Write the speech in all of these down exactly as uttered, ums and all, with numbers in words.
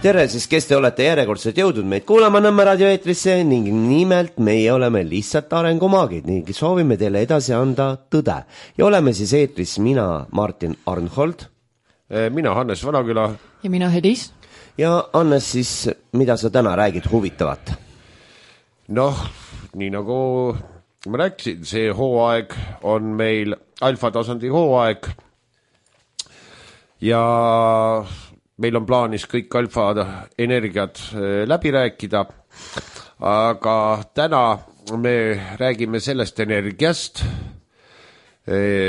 tere siis, kes te olete järjekordselt jõudnud meid kuulama Nõmme raadioeetrisse ning nimelt meie oleme lihtsalt arengumaagid ning soovime teile edasi anda tõde. Ja oleme siis eetris mina, Martin Arnhold. Mina, Hannes Vanaküla. Ja mina, Helis. Ja Hannes siis, mida sa täna räägid huvitavat? Noh, nii nagu ma rääkisin, see hooaeg on meil alfatasandi hooaeg ja meil on plaanis kõik alfa energiat läbi rääkida, aga täna me räägime sellest energiast,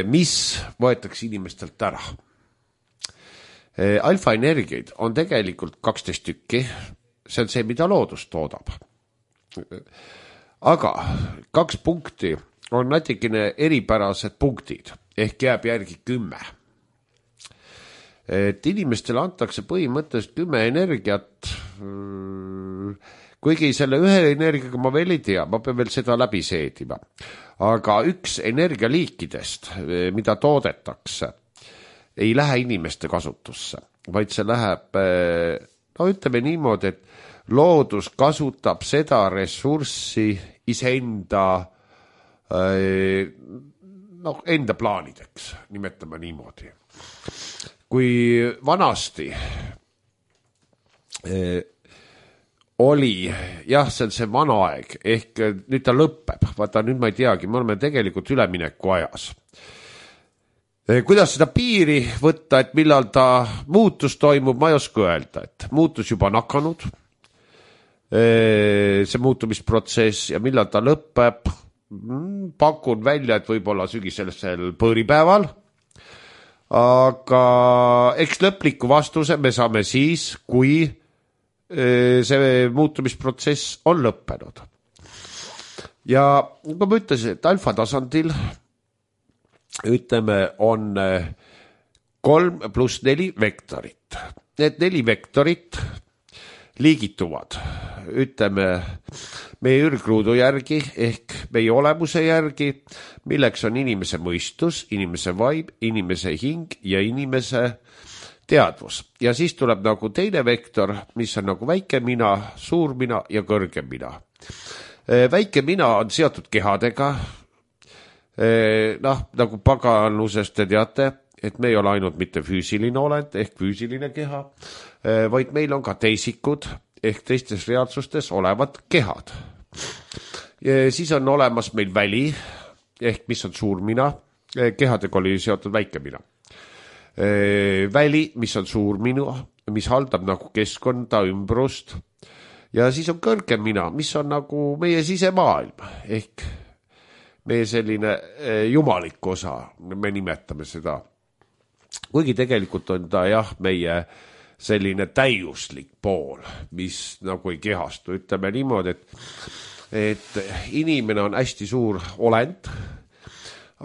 mis võetakse inimestelt ära. Alfa energiaid on tegelikult kaksteist tükki, see on see, mida loodus toodab. Aga kaks punkti on natikene eripärased punktid, ehk jääb järgi kümme. Et inimestele antakse põhimõtteliselt kümme energiat, kuigi selle ühe energiaga ma veel ei tea, ma pean veel seda läbi seedima. Aga üks energialiikidest, mida toodetakse, ei lähe inimeste kasutusse, vaid see läheb, no ütleme niimoodi, et loodus kasutab seda ressurssi iseenda no, enda plaanideks, nimetame niimoodi. Kui vanasti eh, oli, jah, see on see vana aeg, ehk nüüd ta lõpeb, vaata nüüd ma ei teagi, me oleme tegelikult ülemineku ajas. Eh, kuidas seda piiri võtta, et millal ta muutus toimub, ma ei oska öelda, et muutus juba nakanud, eh, see muutumisprotsess ja millal ta lõpeb, pakun välja, et võib-olla sügisel põõripäeval. Aga eks lõpliku vastuse me saame siis, kui see muutumisprotsess on lõppenud. Ja kui ma ütlesin, et alfa tasandil ütleme on kolm pluss neli vektorit. Need neli vektorit liigituvad, ütleme meie ürgruudu järgi ehk meie olemuse järgi, milleks on inimese mõistus, inimese vaim, inimese hing ja inimese teadvus. Ja siis tuleb nagu teine vektor, mis on nagu väike mina, suur mina ja kõrge mina. Väike mina on seotud kehadega, noh, nagu paganlusest te teate, et me ei ole ainult mitte füüsiline olend ehk füüsiline keha, vaid meil on ka teisikud ehk teistes reaalsustes olevad kehad. Ja siis on olemas meil väli ehk mis on suur mina, kehadega oli seotud väike mina. Väli, mis on suur minu, mis haldab nagu keskkonda, ümbrust ja siis on kõrge mina, mis on nagu meie sisemaailm ehk meie selline jumalik osa, me nimetame seda. Kuigi tegelikult on ta jah, meie selline täiuslik pool, mis nagu ei kehastu. Ütleme niimoodi, et, et inimene on hästi suur olend,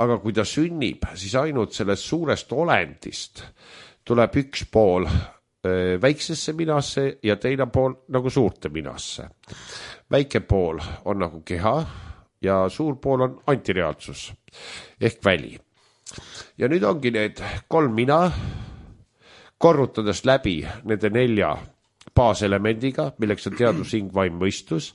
aga kui ta sünnib, siis ainult sellest suurest olendist tuleb üks pool väiksesse minasse ja teine pool nagu suurte minasse. Väike pool on nagu keha ja suur pool on antireaalsus ehk väli. Ja nüüd ongi need kolm mina korrutades läbi nende nelja baaselemendiga, milleks on teadus, hing, vaim, mõistus.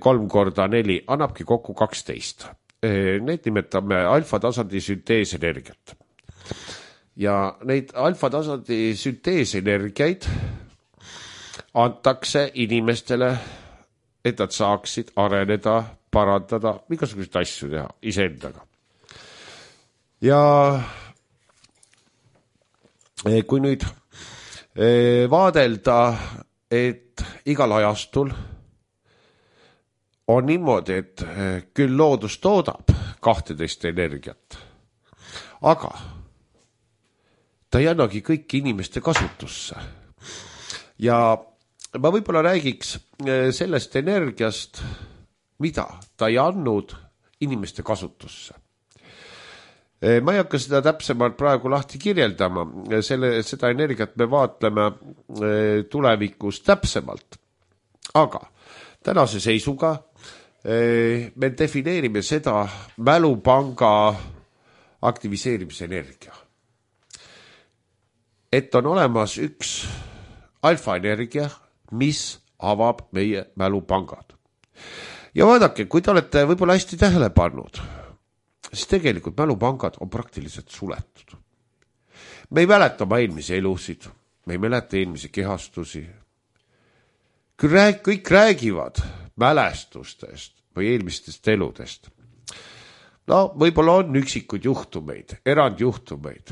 Kolm korda neli annabki kokku kaksteist. Need nimetame alfa tasandi sünteesenergiat. Ja neid alfa tasandi sünteesenergiaid antakse inimestele, et nad saaksid areneda, parandada, igasuguseid asju teha iseendaga. Ja kui nüüd vaadelda, et igal ajastul on niimoodi, et küll loodus toodab kahteteist energiat, aga ta ei annagi kõiki inimeste kasutusse. Ja ma võib-olla räägiks sellest energiast, mida ta ei andnud inimeste kasutusse. Ma ei hakka seda täpsemalt praegu lahti kirjeldama, selle, seda energiat me vaatleme tulevikus täpsemalt. Aga tänase seisuga me defineerime seda mälupanga aktiviseerimise energia. Et on olemas üks alfaenergia, mis avab meie mälupangad. Ja vaadake, kui te olete võib-olla hästi tähele pannud, siis tegelikult mälupangad on praktiliselt suletud. Me ei mäleta oma eelmisi elusid, me ei mäleta eelmisi kehastusi. Kõik räägivad mälestustest või eelmistest eludest. No, võib-olla on üksikuid juhtumeid, erandjuhtumeid,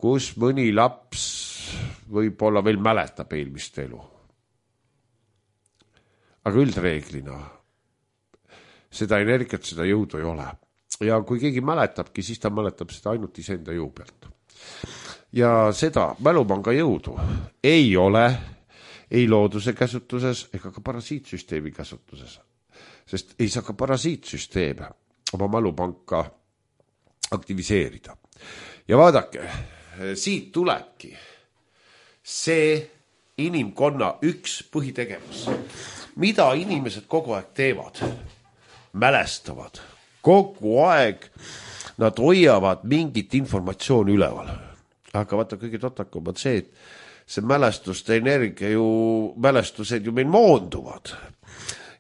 kus mõni laps võib-olla veel mäletab eelmist elu. Aga üldreeglina seda energiat, seda jõudu ei ole. Ja kui keegi mäletabki, siis ta mäletab seda ainult iseenda jõu pealt. Ja seda mälupanga jõudu ei ole ei looduse käsutuses ega ka parasiitsüsteemi käsutuses. Sest ei saa ka parasiitsüsteeme oma mälupanka aktiviseerida. Ja vaadake, siit tulebki see inimkonna üks põhitegevus. Mida inimesed kogu aeg teevad? Mälestavad. Kogu aeg nad hoiavad mingit informatsiooni üleval. Aga vaata, kõige totakam on see, et see mälestuste energia ju, mälestused ju meil moonduvad.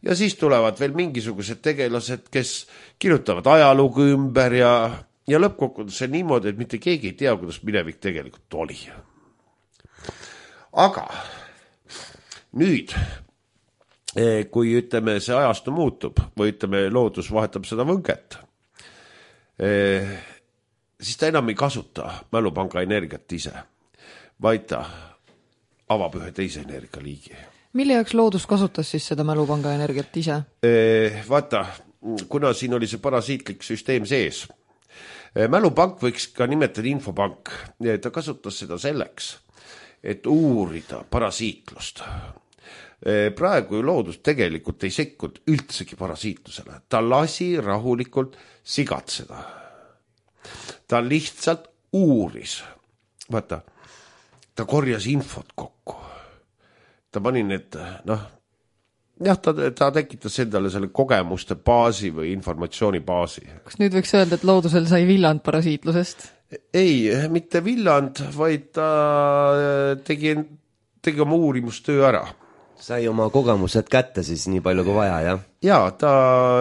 Ja siis tulevad veel mingisugused tegelased, kes kirjutavad ajalugu ümber ja, ja lõppkokkuvõttes see niimoodi, et mitte keegi ei tea, kuidas minevik tegelikult oli. Aga nüüd, kui ütleme, see ajastu muutub või ütleme, loodus vahetab seda võnget, siis ta enam ei kasuta mälupanga energiat ise, vaid ta avab ühe teise energialiigi. Mille jaoks loodus kasutas siis seda mälupanga energiat ise? Vaata, kuna siin oli see parasiitlik süsteem sees, mälupank võiks ka nimetada infopank. Ta kasutas seda selleks, et uurida parasiitlust. Praegu loodus tegelikult ei sekkunud üldsegi parasiitlusele. Ta lasi rahulikult sigatseda. Ta lihtsalt uuris. Vaata, ta korjas infot kokku. Ta pani need, noh, jah, ta, ta tekitas endale selle kogemuste baasi või informatsiooni baasi. Kas nüüd võiks öelda, et loodusel sai villand parasiitlusest? Ei, mitte villand, vaid ta tegi, tegi oma uurimustöö ära. Sai oma kogemused kätte siis nii palju kui vaja, jah? Ja, ta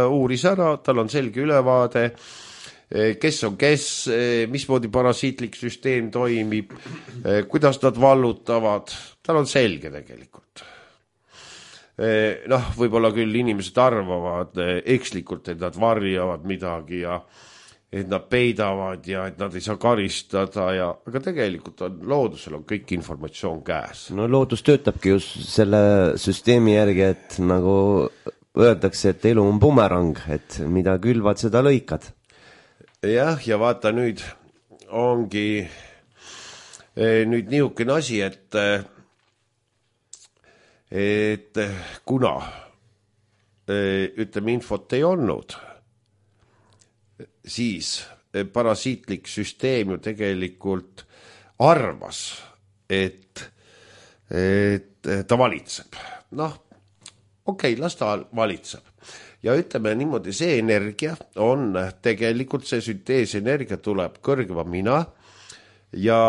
uuris ära, tal on selge ülevaade, kes on kes, mismoodi parasiitlik süsteem toimib, kuidas nad vallutavad, tal on selge tegelikult. Noh, võib-olla küll inimesed arvavad ekslikult, et nad varjavad midagi ja et nad peidavad ja et nad ei saa karistada, ja, aga tegelikult on, loodusel on kõik informatsioon käes. No loodus töötabki just selle süsteemi järgi, et nagu öeldakse, et elu on bumerang, et mida külvad, seda lõikad. Jah, ja vaata nüüd ongi nüüd niisugune asi, et et kuna ütleme infot ei olnud, siis parasiitlik süsteem ju tegelikult arvas, et, et ta valitseb. Noh, okei, las ta valitseb. Ja ütleme niimoodi, see energia on tegelikult, see sünteesenergia tuleb kõrgema mina ja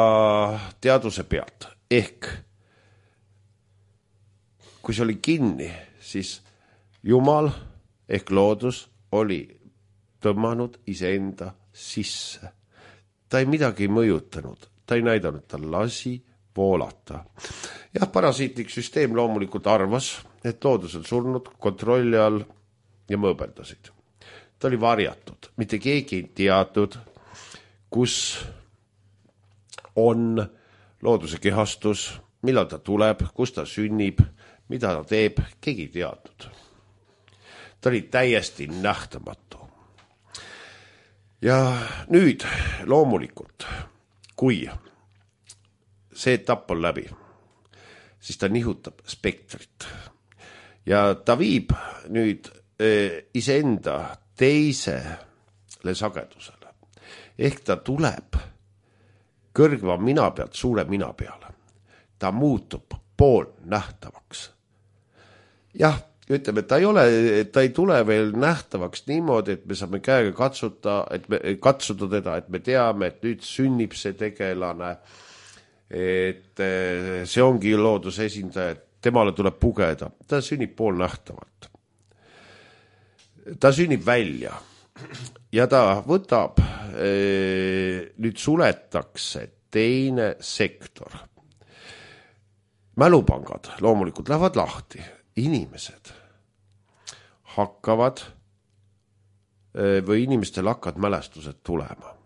teaduse pealt. Ehk kui see oli kinni, siis Jumal ehk loodus oli tõmmanud iseenda sisse. Ta ei midagi mõjutanud, ta ei näidanud, ta lasi voolata. Jah, parasiitlik süsteem loomulikult arvas, et loodus on surnud kontrolli all ja mõõbeldasid. Ta oli varjatud, mitte keegi ei teadnud, kus on looduse kehastus, millal ta tuleb, kus ta sünnib, mida ta teeb, keegi ei teadnud. Ta oli täiesti nähtamatu. Ja nüüd loomulikult, kui see etapp on läbi, siis ta nihutab spektrit. Ja ta viib nüüd iseenda teisele sagedusele. Ehk ta tuleb kõrgva mina pealt suure mina peale. Ta muutub pool nähtavaks. Jah, ütleme, ta ei ole, ta ei tule veel nähtavaks niimoodi, et me saame käega katsuta, et me katsuda teda, et me teame, et nüüd sünnib see tegelane. et see ongi looduse esindaja, temale tuleb pugeda, ta sünnib poolnähtavalt. Ta sünnib välja ja ta võtab, nüüd suletakse teine sektor. Mälupangad loomulikult lähevad lahti, inimesed hakkavad või inimestel hakkavad mälestused tulema.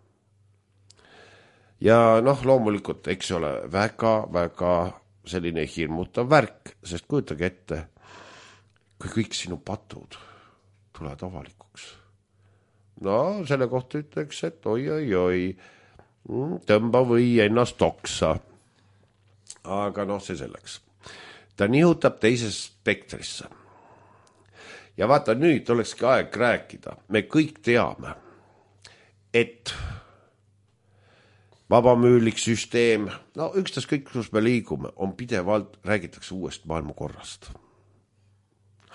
Ja noh, loomulikult, eks ole, väga, väga selline hirmutav värk, sest kujutage ette, kui kõik sinu patud tulevad avalikuks. No, selle kohta ütleks, et oi, oi, oi, tõmba või ennast oksa. Aga noh, see selleks. Ta nihutab teises spektrisse. Ja vaata, nüüd olekski aeg rääkida. Me kõik teame, et vabamüülik süsteem, no ükstas kõik, kus me liigume, on pidevalt, räägitakse uuest maailmakorrast.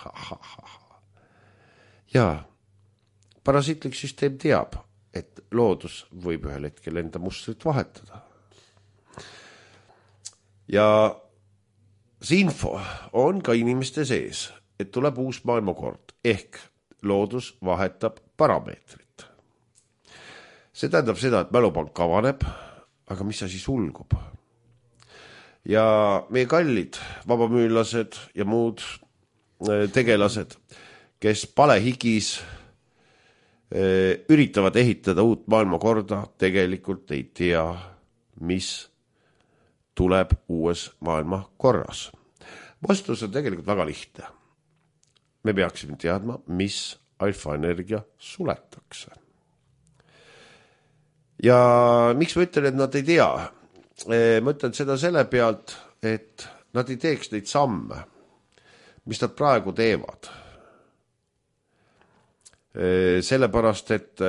Ha, ha, ha, ha. Ja parasiitlik süsteem teab, et loodus võib ühel hetkel enda mustrit vahetada. Ja see info on ka inimeste sees, et tuleb uus maailmakord, ehk loodus vahetab parameetrit. See tähendab seda, et mälupank kavaneb, aga mis asi sulgub? Ja meie kallid vabamüülased ja muud tegelased, kes palehigis üritavad ehitada uut maailmakorda, tegelikult ei tea, mis tuleb uues maailmakorras. Vastus on tegelikult väga lihtne. Me peaksime teadma, mis alfaenergia suletakse. Ja miks ma ütlen, et nad ei tea? Ma ütlen seda selle pealt, et nad ei teeks neid samme, mis nad praegu teevad. Sellepärast, et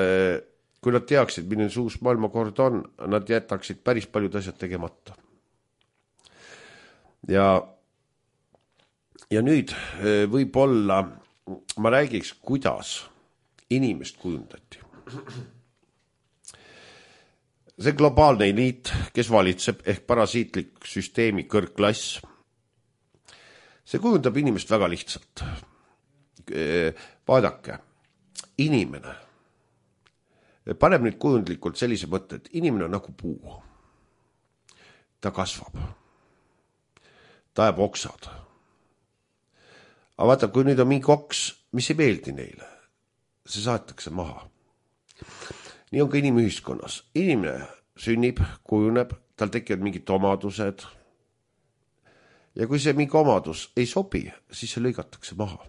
kui nad teaksid, milline see uus maailmakord on, nad jätaksid päris paljud asjad tegemata. Ja Ja nüüd võib-olla ma räägiks, kuidas inimest kujundati. See globaalne eliit, kes valitseb ehk parasiitlik süsteemi kõrgklass, see kujundab inimest väga lihtsalt. Vaadake, inimene, paneb nüüd kujundlikult sellise mõtte, et inimene on nagu puu. Ta kasvab. Ta ajab oksad. Aga vaata, kui nüüd on mingi oks, mis ei meeldi neile, see saatakse maha. Nii on ka inimühiskonnas. Inimene sünnib, kujuneb, tal tekivad mingid omadused. Ja kui see mingi omadus ei sobi, siis see lõigatakse maha.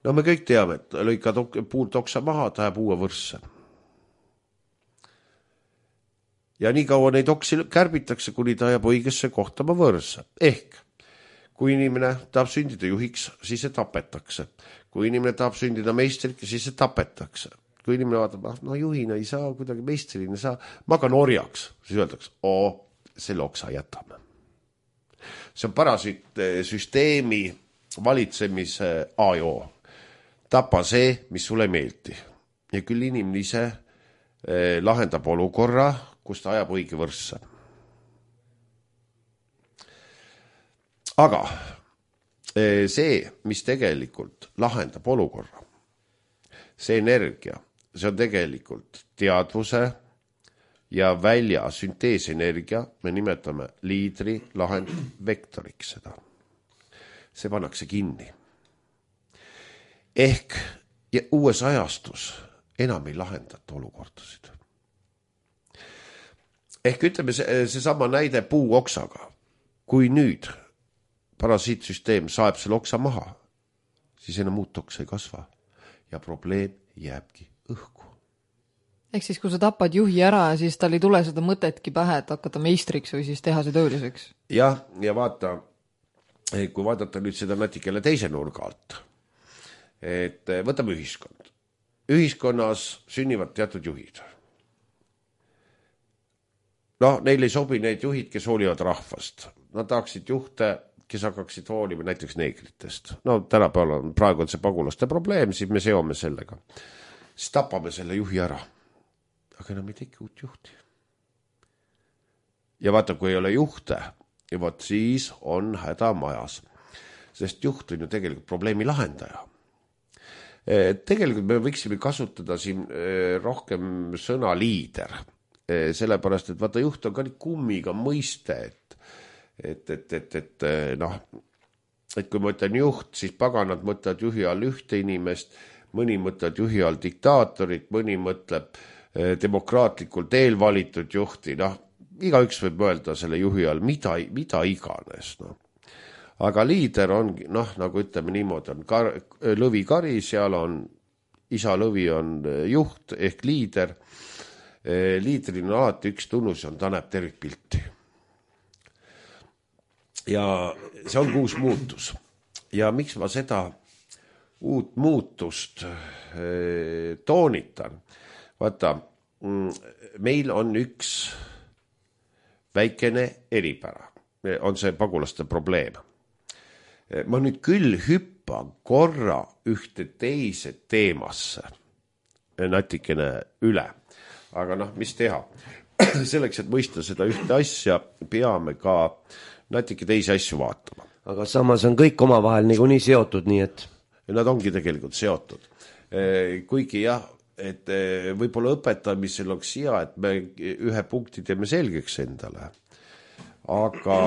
No me kõik teame, et lõikad puult oksa maha, ta jääb uue võrsse. Ja nii kaua neid oksi kärbitakse, kuni ta jääb õigesse kohtama võrsse. Ehk kui inimene tahab sündida juhiks, siis see tapetakse. Kui inimene tahab sündida meistriks, siis see tapetakse. Kui inimene vaatab, no juhina ei saa, kuidagi meistrina saa, ma ka norjaks, siis öeldakse, oo, selle oksa jätame. See on parasiit süsteemi valitsemise A ja O. Tapa see, mis sulle meeldi. Ja küll inimene ise lahendab olukorra, kus ta ajab õige võrsse. Aga see, mis tegelikult lahendab olukorra, see energia, see on tegelikult teadvuse ja välja sünteesenergia, me nimetame liidri lahendvektoriks seda. See pannakse kinni. Ehk ja uues ajastus enam ei lahendata olukordasid. Ehk ütleme see, see sama näide puu oksaga. Kui nüüd parasiitsüsteem saeb selle oksa maha, siis enam muud oksa ei kasva ja probleem jääbki õhku. Ehk siis, kui sa tapad juhi ära, siis tal ei tule seda mõtetki pähe, et hakata meistriks või siis teha see tööliseks. Jah, ja vaata, kui vaadata nüüd seda natikele teise nurga alt, et võtame ühiskond. Ühiskonnas sünnivad teatud juhid. No, neil ei sobi need juhid, kes hoolivad rahvast. Nad tahaksid juhte, kes hakkaksid hoolima näiteks neegritest. No tänapäeval on, praegu on see pagulaste probleem, siis me seome sellega. Siis tapame selle juhi ära. Aga enam ei teki uut juhti. ja vaata, kui ei ole juhte, ja vaat siis on häda majas. Sest juht on ju tegelikult probleemi lahendaja. Tegelikult me võiksime kasutada siin rohkem sõna liider. Sellepärast, et vaata, juht on ka nii kummiga mõiste, et, et, et, et, et, noh, et kui ma ütlen juht, siis paganad mõtlevad juhi all ühte inimest, mõni mõtleb juhi all diktaatorit, mõni mõtleb demokraatlikult eelvalitud juhti, noh, igaüks võib öelda selle juhi all mida, mida iganes, noh. Aga liider on, noh, nagu ütleme niimoodi, on kar, lõvi kari, seal on, isa lõvi on juht ehk liider. Liidril on alati üks tunnus, on ta näeb tervikpilti. Ja see on uus muutus. Ja miks ma seda uut muutust toonitan? Vaata, meil on üks väikene eripära. On see pagulaste probleem. Ma nüüd küll hüppan korra ühte teise teemasse. Natikene üle. Aga noh, mis teha? Selleks, et mõista seda ühte asja, peame ka natuke teisi asju vaatama. Aga samas on kõik omavahel nagu nii seotud, nii et... Nad ongi tegelikult seotud. Kuigi jah, et võib-olla õpetamisel oleks hea, et me ühe punkti teeme selgeks endale. Aga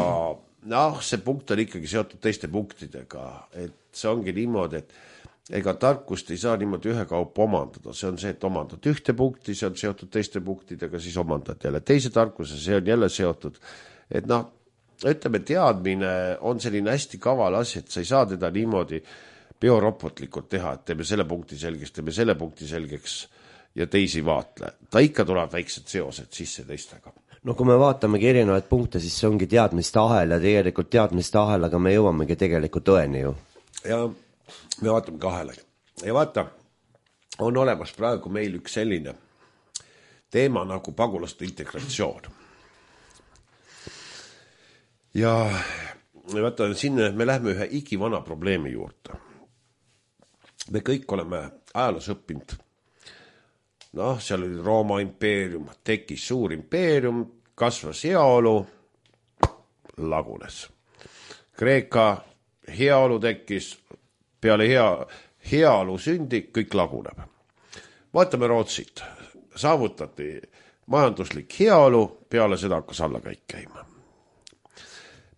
noh, see punkt on ikkagi seotud teiste punktidega. Et see ongi niimoodi, et ega tarkust ei saa niimoodi ühe kaupa omandada. See on see, et omandad ühte punkti, see on seotud teiste punktidega, siis omandad jälle teise tarkuse, see on jälle seotud. Et noh, ütleme, teadmine on selline hästi kaval asi, et sa ei saa teda niimoodi biorobotlikult teha, et teeme selle punkti selgeks, teeme selle punkti selgeks ja teisi vaatle. Ta ikka tuleb väiksed seosed sisse teistega. No kui me vaatamegi erinevaid punkte, siis see ongi teadmiste ahel ja tegelikult teadmiste ahelaga me jõuamegi tegelikult tõeni ju. Ja me vaatame kahele. Ja vaata, on olemas praegu meil üks selline teema nagu pagulaste integratsioon. Ja vaata, sinna me lähme ühe igivana probleemi juurde. Me kõik oleme ajaloos õppinud. Noh, seal oli Rooma impeerium, tekkis suur impeerium, kasvas heaolu, lagunes. Kreeka heaolu tekkis, peale hea, heaolu sündi, kõik laguneb. Vaatame Rootsit. Saavutati majanduslik heaolu, peale seda hakkas alla kõik käima.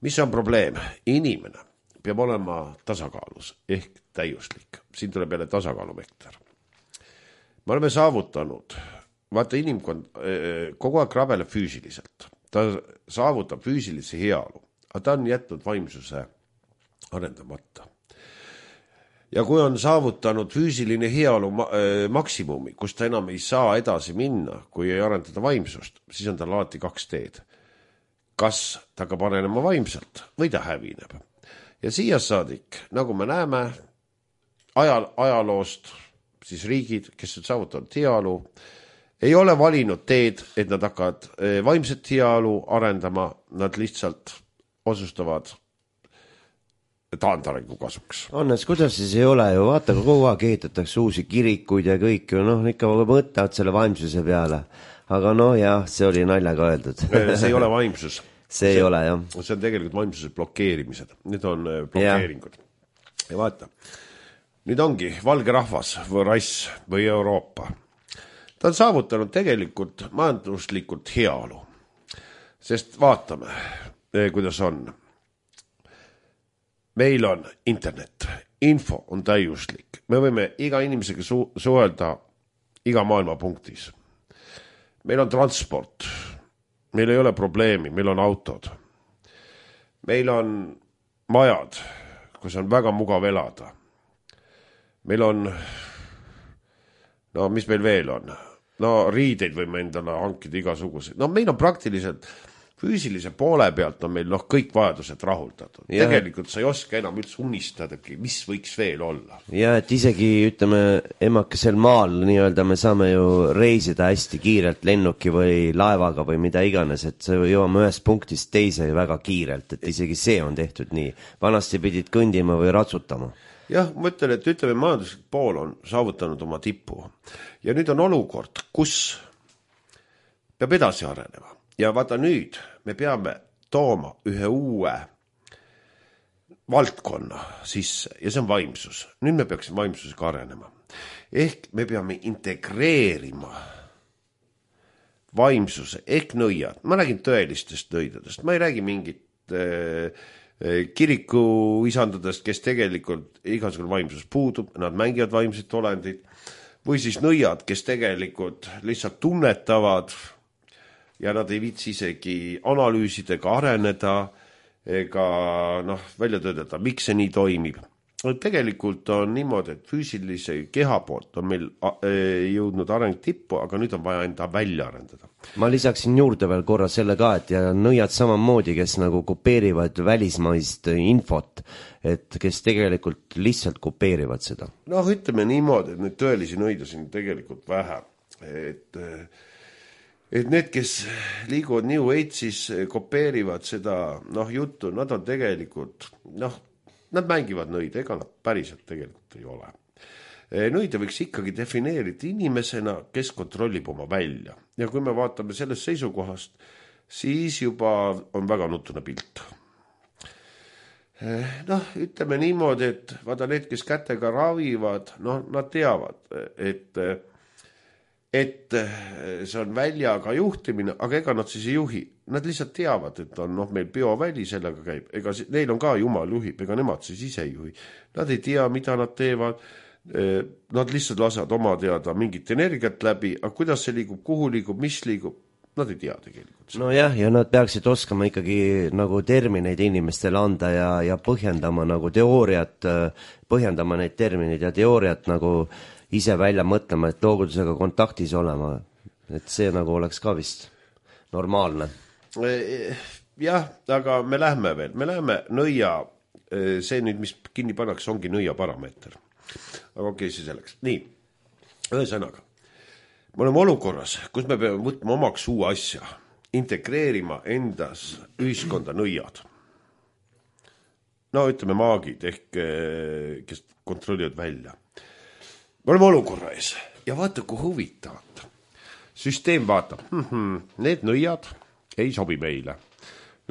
Mis on probleem? Inimene peab olema tasakaalus ehk täiuslik. Siin tuleb jälle tasakaalumekter. Me oleme saavutanud, vaata inimkond kogu aeg rabeleb füüsiliselt. Ta saavutab füüsilise heaolu, aga ta on jätnud vaimsuse arendamata. Ja kui on saavutanud füüsiline heaolu maksimumi, kus ta enam ei saa edasi minna, kui ei arendada vaimsust, siis on tal alati kaks teed. Kas ta ka panenema vaimselt või ta hävineb. Ja siia saadik, nagu me näeme, ajal, ajaloost, siis riigid, kes on saavutanud heaolu, ei ole valinud teed, et nad hakkavad vaimset heaolu arendama, nad lihtsalt otsustavad taandarengu kasuks. Annes, kuidas siis ei ole ju, vaata, kui kogu aeg ehitatakse uusi kirikuid ja kõik ju, noh, ikka mõtlevad selle vaimsuse peale. Aga noh, jah, see oli naljaga öeldud. See ei ole vaimsus. See ei see, ole, jah. See on tegelikult vaimsuse blokeerimised. Need on blokeeringud. Ja, ja vaata, nüüd ongi valge rahvas või rass või Euroopa. Ta on saavutanud tegelikult majanduslikult heaolu. Sest vaatame, kuidas on. Meil on internet, info on täiuslik. Me võime iga inimesega su- suhelda iga maailma punktis. Meil on transport, meil ei ole probleemi, meil on autod. Meil on majad, kus on väga mugav elada. Meil on, no mis meil veel on? No riideid võime endale hankida igasuguseid. No meil on praktiliselt füüsilise poole pealt on meil noh, kõik vajadused rahuldatud. Ja. Tegelikult sa ei oska enam üldse unistadagi, mis võiks veel olla. Ja, et isegi, ütleme, emakesel maal nii-öelda me saame ju reisida hästi kiirelt lennuki või laevaga või mida iganes, et see jõuame ühest punktist teise väga kiirelt, et isegi see on tehtud nii. Vanasti pidid kõndima või ratsutama. Jah, ma ütlen, et ütleme, majanduslik pool on saavutanud oma tippu. Ja nüüd on olukord, kus peab edasi arenema. ja vaata nüüd me peame tooma ühe uue valdkonna sisse ja see on vaimsus. Nüüd me peaksime vaimsusega arenema. Ehk me peame integreerima vaimsuse ehk nõiad. Ma räägin tõelistest nõidadest. Ma ei räägi mingit äh, kiriku isandadest, kes tegelikult igasugune vaimsus puudub, nad mängivad vaimset olendit, või siis nõiad, kes tegelikult lihtsalt tunnetavad ja nad ei viitsi isegi analüüsidega areneda ega noh, välja töötada, miks see nii toimib. Tegelikult on niimoodi, et füüsilise keha poolt on meil jõudnud areng tippu, aga nüüd on vaja enda välja arendada. Ma lisaksin juurde veel korra selle ka, et ja nõiad samamoodi, kes nagu kopeerivad välismaist infot, et kes tegelikult lihtsalt kopeerivad seda. Noh, ütleme niimoodi, et neid tõelisi nõidasid on tegelikult vähe. Et, et need, kes liiguvad New Age'is, kopeerivad seda noh, juttu, nad on tegelikult, noh, nad mängivad nõid, ega nad päriselt tegelikult ei ole. Nõide võiks ikkagi defineerida inimesena, kes kontrollib oma välja. Ja kui me vaatame sellest seisukohast, siis juba on väga nutune pilt. Noh, ütleme niimoodi, et vaata need, kes kätega ravivad, noh, nad teavad, et, et see on väljaga juhtimine, aga ega nad siis ei juhi. Nad lihtsalt teavad, et on noh, meil bioväli sellega käib. Ega neil on ka jumal juhib, ega nemad siis ise ei juhi. Nad ei tea, mida nad teevad. Nad lihtsalt lasevad oma teada mingit energiat läbi, aga kuidas see liigub, kuhu liigub, mis liigub, nad ei tea tegelikult. No jah, ja nad peaksid oskama ikkagi nagu termineid inimestele anda ja, ja põhjendama nagu teooriat, põhjendama neid termineid ja teooriat nagu ise välja mõtlema, et loogudusega kontaktis olema. Et see nagu oleks ka vist normaalne. Jah, aga me lähme veel, me lähme nõia, see nüüd, mis kinni pannakse, ongi nõia parameeter. Aga okei, see selleks. Nii, ühesõnaga, me oleme olukorras, kus me peame võtma omaks uue asja, integreerima endas ühiskonda nõiad. No ütleme maagid, ehk kes kontrollivad välja. Me oleme olukorra ees ja vaata, kui huvitavad. Süsteem vaatab, mm-hmm, need nõiad ei sobi meile,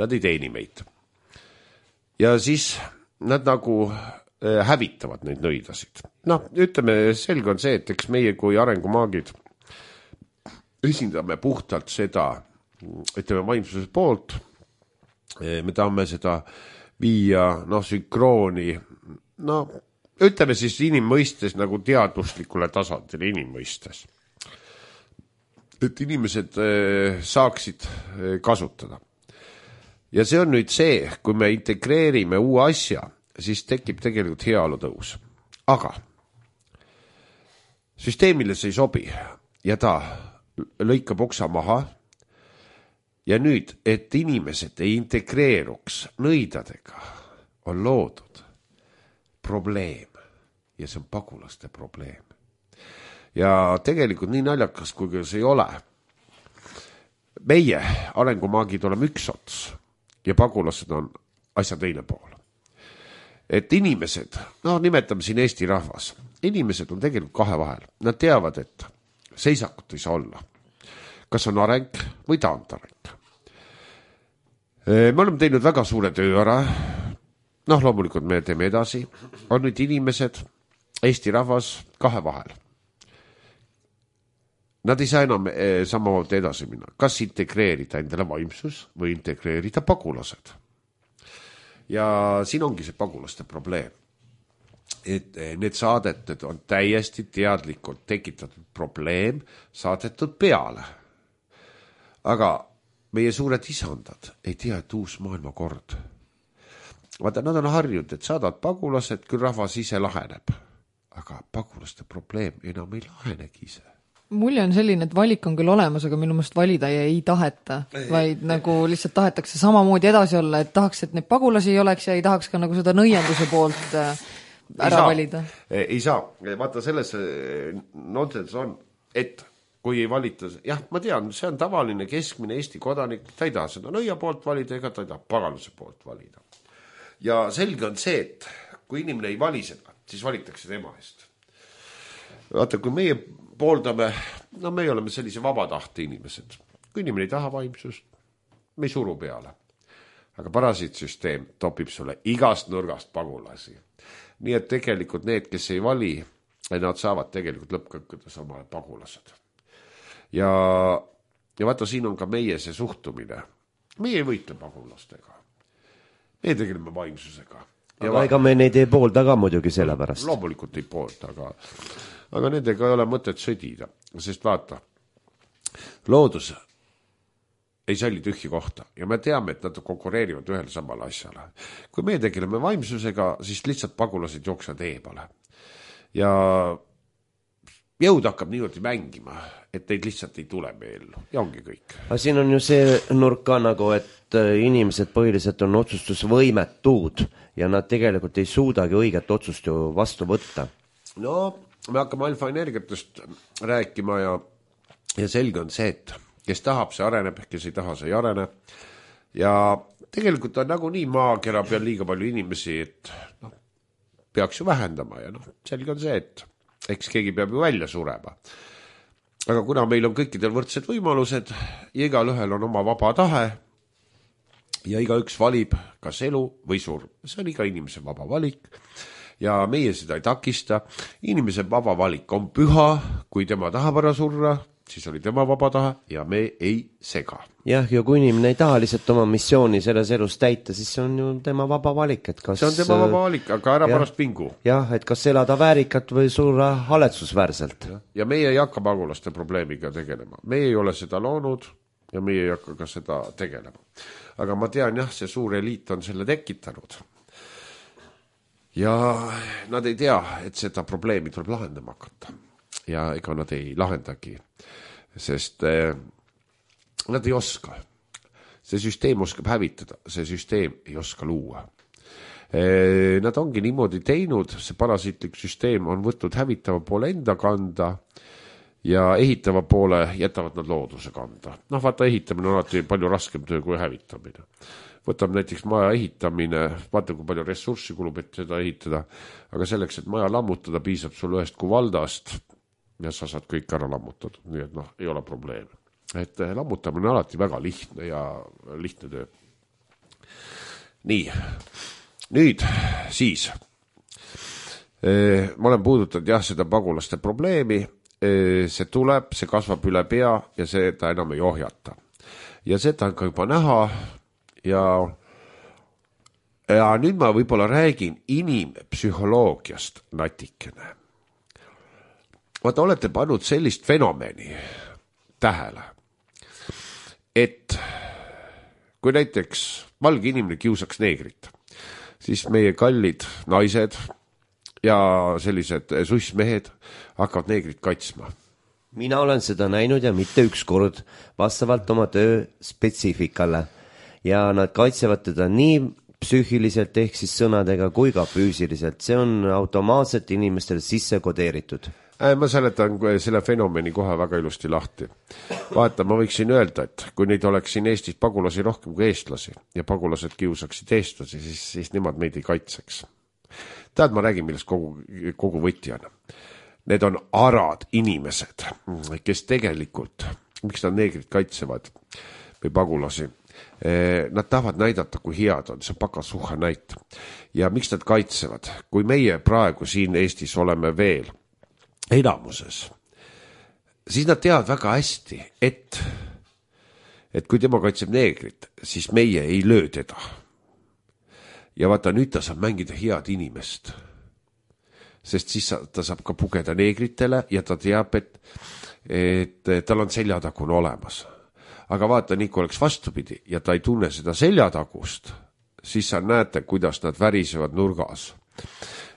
nad ei teeni meid. Ja siis nad nagu hävitavad neid nõidasid. Noh, ütleme, selge on see, et eks meie kui arengumaagid esindame puhtalt seda, ütleme, vaimsuse poolt. Me tahame seda viia, noh, sünkrooni, no, ütleme siis inimmõistes nagu teadvuslikule tasandile inimmõistes. Et inimesed saaksid kasutada. Ja see on nüüd see, kui me integreerime uue asja, siis tekib tegelikult heaolu tõus. Aga süsteemile see ei sobi ja ta lõikab oksa maha ja nüüd, et inimesed ei integreeruks nõidadega, on loodud probleem ja see on pagulaste probleem. Ja tegelikult nii naljakas, kui see ei ole. Meie arengumaagid oleme üks ots ja pagulased on asja teine pool. Et inimesed, no nimetame siin Eesti rahvas, inimesed on tegelikult kahe vahel. Nad teavad, et seisakut ei saa olla. Kas on areng või taandareng. Me oleme teinud väga suure töö ära, noh loomulikult me teeme edasi, on nüüd inimesed, Eesti rahvas kahe vahel. Nad ei saa enam samamoodi edasi minna. Kas integreerida endale vaimsus või integreerida pagulased? Ja siin ongi see pagulaste probleem. Et need saadetud on täiesti teadlikult tekitatud probleem saadetud peale. Aga meie suured isandad ei tea, et uus maailmakord. Vaata, nad on harjunud, et saadad pagulased, küll rahvas ise laheneb. Aga pagulaste probleem enam ei lahenegi ise. Mulje on selline, et valik on küll olemas, aga minu mõist valida ja ei taheta, vaid nagu lihtsalt tahetakse samamoodi edasi olla, et tahaks, et neid pagulasi ei oleks ja ei tahaks ka nagu seda nõienduse poolt ära ei saa, valida. Ei saa. Vaata, selles nonsense on, et kui ei valita, jah, ma tean, see on tavaline keskmine Eesti kodanik, ta ei taha seda nõia poolt valida ega ta ei taha pagaluse poolt valida. Ja selge on see, et kui inimene ei vali seda, siis valitakse tema eest. Vaata, kui meie pooldame, no me oleme sellise vabatahte inimesed. Kui inimene ei taha vaimsust, me ei suru peale. Aga parasiitsüsteem topib sulle igast nurgast pagulasi. Nii et tegelikult need, kes ei vali, nad saavad tegelikult lõppkõkkudes oma pagulased. Ja, ja vaata, siin on ka meie see suhtumine. Meie ei võitle pagulastega. Meie tegeleme vaimsusega. Aga va- ega me neid ei poolda ka muidugi selle pärast. Loomulikult ei poolda, aga, aga nendega ei ole mõtet sõdida. Sest vaata, loodus ei salli tühji kohta ja me teame, et nad konkureerivad ühel samal asjale. Kui me tegeleme vaimsusega, siis lihtsalt pagulased jooksevad eebale. Ja jõud hakkab niimoodi mängima, et neid lihtsalt ei tule meellu ja ongi kõik. Aga siin on ju see nurk ka nagu, et inimesed põhiliselt on otsustusvõimetud ja nad tegelikult ei suudagi õiget otsust ju vastu võtta. No, me hakkame alfa-energiatest rääkima ja, ja selge on see, et kes tahab, see areneb, kes ei taha, see ei arene. Ja tegelikult on nagu nii maakera peal liiga palju inimesi, et no, peaks ju vähendama ja noh, selge on see, et eks keegi peab ju välja surema. Aga kuna meil on kõikidel võrdsed võimalused ja igal ühel on oma vaba tahe ja iga üks valib kas elu või surm. See on iga inimese vaba valik ja meie seda ei takista. Inimese vaba valik on püha, kui tema tahab ära surra, siis oli tema vaba tahe ja me ei sega. Jah, ja kui inimene ei taha lihtsalt oma missiooni selles elus täita, siis see on ju tema vaba valik. Et kas, see on tema vaba valik, aga ära jah, pärast pingu. Jah, et kas elada väärikat või surra haletsusväärselt. Ja, ja meie ei hakka pagulaste probleemiga tegelema. Meie ei ole seda loonud ja meie ei hakka ka seda tegelema. Aga ma tean, jah, see suur eliit on selle tekitanud. Ja nad ei tea, et seda probleemi tuleb lahendama hakata. Ja ega nad ei lahendagi, sest eh, nad ei oska. See süsteem oskab hävitada, see süsteem ei oska luua. Eh, nad ongi niimoodi teinud, see parasiitlik süsteem on võtnud hävitava poole enda kanda ja ehitava poole jätavad nad looduse kanda. Noh, vaata, ehitamine on alati palju raskem töö kui hävitamine. Võtab näiteks maja ehitamine, vaata kui palju ressurssi kulub, et seda ehitada, aga selleks, et maja lammutada, piisab sul ühest kuvaldast ja sa saad kõik ära lammutatud, nii et noh, ei ole probleemi. Et lammutamine on alati väga lihtne ja lihtne töö. Nii, nüüd siis ma olen puudutanud jah seda pagulaste probleemi, see tuleb, see kasvab üle pea ja seda enam ei ohjata. Ja seda on ka juba näha ja, ja nüüd ma võib-olla räägin inimpsühholoogiast natikene. Vaata, olete pannud sellist fenomeni tähele, et kui näiteks valge inimene kiusaks neegrit, siis meie kallid naised ja sellised sussmehed hakkavad neegrit kaitsma. Mina olen seda näinud ja mitte üks kord vastavalt oma töö spetsiifikale ja nad kaitsevad teda nii psüühiliselt ehk siis sõnadega kui ka füüsiliselt. See on automaatselt inimestele sisse kodeeritud. Ma seletan selle fenomeni kohe väga ilusti lahti. Vaata, ma võiksin öelda, et kui neid oleks siin Eestis pagulasi rohkem kui eestlasi ja pagulased kiusaksid eestlasi, siis, siis nemad meid ei kaitseks. Tead, ma räägin, millest kogu, kogu võti on. Need on arad inimesed, kes tegelikult, miks nad neegrid kaitsevad või pagulasi, nad tahavad näidata, kui head on, see on pakasuha näit. Ja miks nad kaitsevad? Kui meie praegu siin Eestis oleme veel enamuses, siis nad teavad väga hästi, et, et kui tema kaitseb neegrit, siis meie ei löö teda. Ja vaata, nüüd ta saab mängida head inimest, sest siis ta saab ka pugeda neegritele ja ta teab, et, et tal on seljatagune olemas. Aga vaata, nii kui oleks vastupidi ja ta ei tunne seda seljatagust, siis sa näete, kuidas nad värisevad nurgas.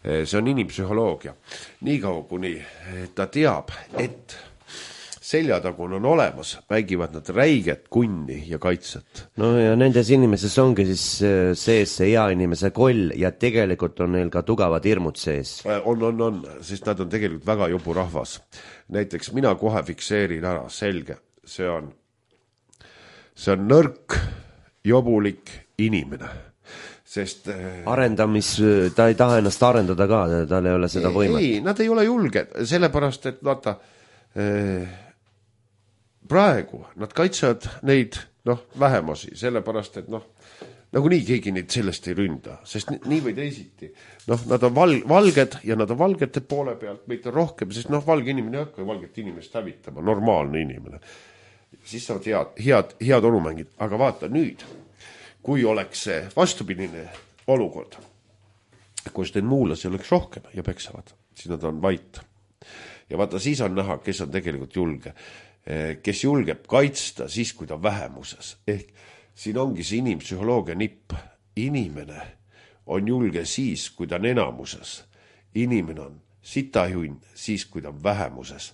See on inimpsühholoogia. Nii kaua, kuni ta teab, et seljatagune on olemas, mängivad nad räiget, kunni ja kaitset. No ja nendes inimeses ongi siis sees see hea inimese koll ja tegelikult on neil ka tugevad hirmud sees. On, on, on, sest nad on tegelikult väga jobu rahvas. Näiteks mina kohe fikseerin ära, selge, see on, see on nõrk, jobulik inimene. Sest arendamis, ta ei taha ennast arendada ka, tal ei ole seda võimet. Ei, nad ei ole julged, sellepärast, et vaata, praegu nad kaitsevad neid noh, vähemusi, sellepärast, et noh, nagu nii keegi neid sellest ei ründa, sest nii või teisiti. Noh, nad on val, valged ja nad on valgete poole pealt, meid on rohkem, sest noh, valge inimene ei hakka valget inimest hävitama, normaalne inimene. Siis saavad head, head, head olumängid, aga vaata nüüd, kui oleks see vastupidine olukord, kus need muulasi oleks rohkem ja peksavad, siis nad on vait. Ja vaata, siis on näha, kes on tegelikult julge, kes julgeb kaitsta siis, kui ta on vähemuses. Ehk siin ongi see inimpsühholoogia nipp. Inimene on julge siis, kui ta on enamuses. Inimene on sitahjunn siis, kui ta on vähemuses.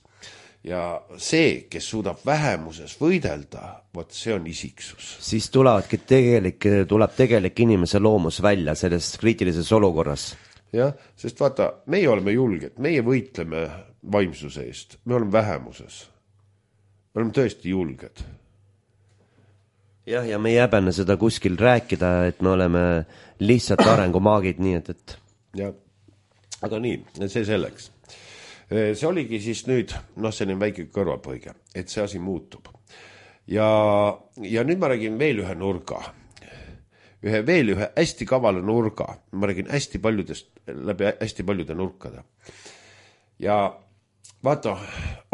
Ja see, kes suudab vähemuses võidelda, vot see on isiksus. Siis tulevadki tegelik, tuleb tegelik inimese loomus välja selles kriitilises olukorras. Jah, sest vaata, meie oleme julged, meie võitleme vaimsuse eest, me oleme vähemuses. Me oleme tõesti julged. Jah, ja me ei häbene seda kuskil rääkida, et me oleme lihtsalt arengumaagid, nii et, et... Ja, aga nii, see selleks. See oligi siis nüüd, noh, selline väike kõrvalpõige, et see asi muutub. Ja, ja nüüd ma räägin veel ühe nurga. Ühe veel ühe hästi kavala nurga. Ma räägin hästi paljudest, läbi hästi paljude nurkade. Ja vaata,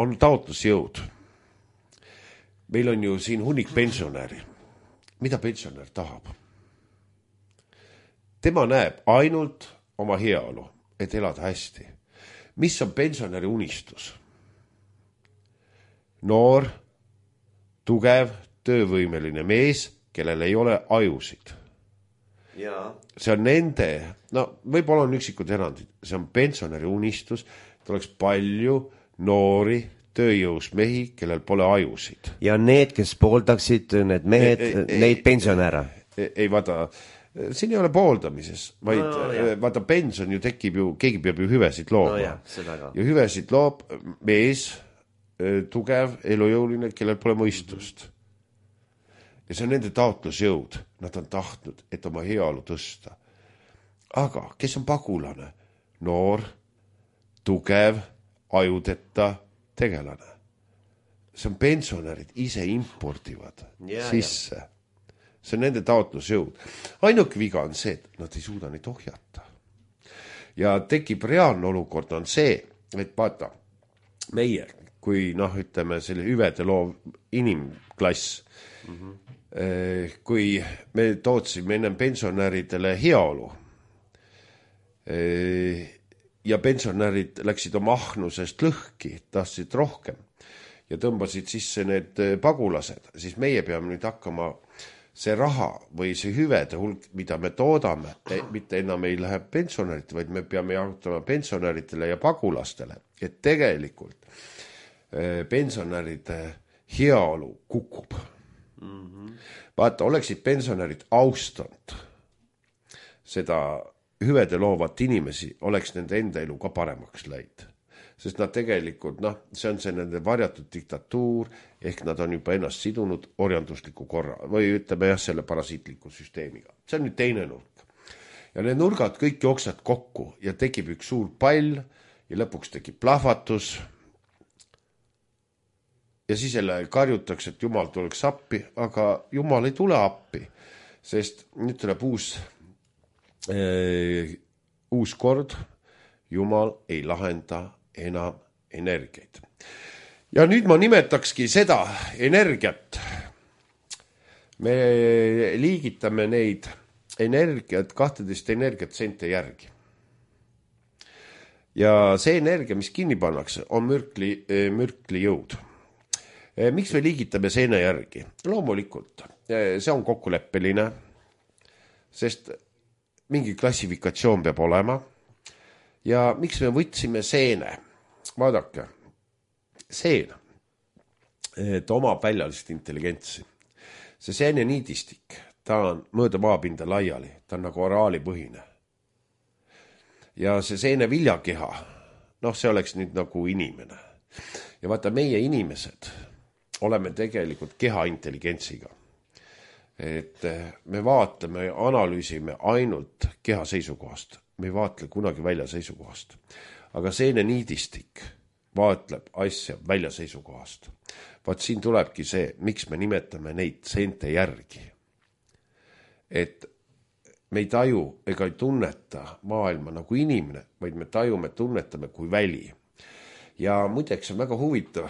on taotlusjõud. Meil on ju siin hunnik pensionäri. Mida pensionär tahab? Tema näeb ainult oma heaolu, et elada hästi. Mis on pensionäri unistus? Noor, tugev, töövõimeline mees, kellel ei ole ajusid. Ja. See on nende, no võib-olla on üksikud erandid, see on pensionäri unistus, et oleks palju noori, tööjõus mehi, kellel pole ajusid. Ja need, kes pooldaksid, need mehed, ei, ei, neid pensionäre. Ei, ei vaata, siin ei ole pooldamises, vaid no, no, vaata pension ju tekib ju, keegi peab ju hüvesid looma. No, jah, seda ka. Ja hüvesid loob mees, tugev, elujõuline, kellel pole mõistust. Ja see on nende taotlusjõud. Nad on tahtnud, et oma heaolu tõsta. Aga kes on pagulane? Noor, tugev, ajudeta tegelane. See on pensionärid ise importivad ja, sisse. Ja. See on nende taotlusjõud. Ainuke viga on see, et nad ei suuda neid ohjata. Ja tekib reaalne olukord on see, et vaata, meie, kui noh, ütleme, selle hüvede loov inimklass, mm-hmm. kui me tootsime ennem pensionäridele heaolu ja pensionärid läksid oma ahnusest lõhki, tahtsid rohkem ja tõmbasid sisse need pagulased, siis meie peame nüüd hakkama see raha või see hüvede hulk, mida me toodame, mitte enam ei lähe pensionärid, vaid me peame jaotama pensionäridele ja pagulastele, et tegelikult pensionäride heaolu kukub. Mm-hmm. Vaata, oleksid pensionärid austanud seda hüvede loovat inimesi, oleks nende enda elu ka paremaks läid. Sest nad tegelikult, noh, see on see nende varjatud diktatuur, ehk nad on juba ennast sidunud orjandusliku korra, või ütleme jah, selle parasiitliku süsteemiga. See on nüüd teine nurk. Ja need nurgad kõik jooksad kokku ja tekib üks suur pall ja lõpuks tekib plahvatus. Ja siis jälle karjutakse, et Jumal tuleks appi, aga Jumal ei tule appi, sest nüüd tuleb uus, äh, uus kord, Jumal ei lahenda enam energiaid. Ja nüüd ma nimetakski seda energiat. Me liigitame neid energiat, kahteteist energiat sente järgi. Ja see energia, mis kinni pannakse, on mürkli, mürkli jõud. Miks me liigitame seene järgi? Loomulikult, see on kokkuleppeline, sest mingi klassifikatsioon peab olema. Ja miks me võtsime seene? Vaadake, seen, et omab väljalist intelligentsi. See seene niidistik, ta on mööda maapinda laiali, ta on nagu oraalipõhine. Ja see seene viljakeha, noh, see oleks nüüd nagu inimene. Ja vaata, meie inimesed oleme tegelikult keha intelligentsiga. Et me vaatame ja analüüsime ainult keha seisukohast. Me ei vaatle kunagi välja seisukohast. Aga seene niidistik vaatleb asja välja seisukohast. vaat siin tulebki see, miks me nimetame neid seente järgi. Et me ei taju ega ei tunneta maailma nagu inimene, vaid me tajume, tunnetame kui väli. Ja muideks on väga huvitav,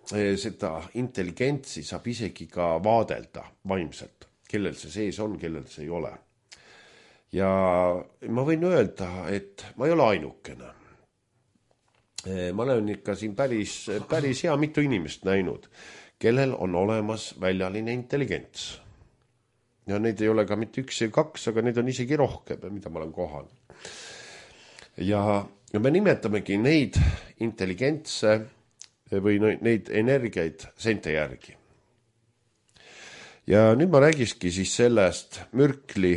seda intelligentsi saab isegi ka vaadelda vaimselt, kellel see sees on, kellel see ei ole. Ja ma võin öelda, et ma ei ole ainukene. Ma olen ikka siin päris, päris hea mitu inimest näinud, kellel on olemas väljaline intelligents. Ja neid ei ole ka mitte üks ja kaks, aga neid on isegi rohkem, mida ma olen kohanud. Ja, ja me nimetamegi neid intelligentse või neid energiaid seente järgi. Ja nüüd ma räägiski siis sellest mürkli,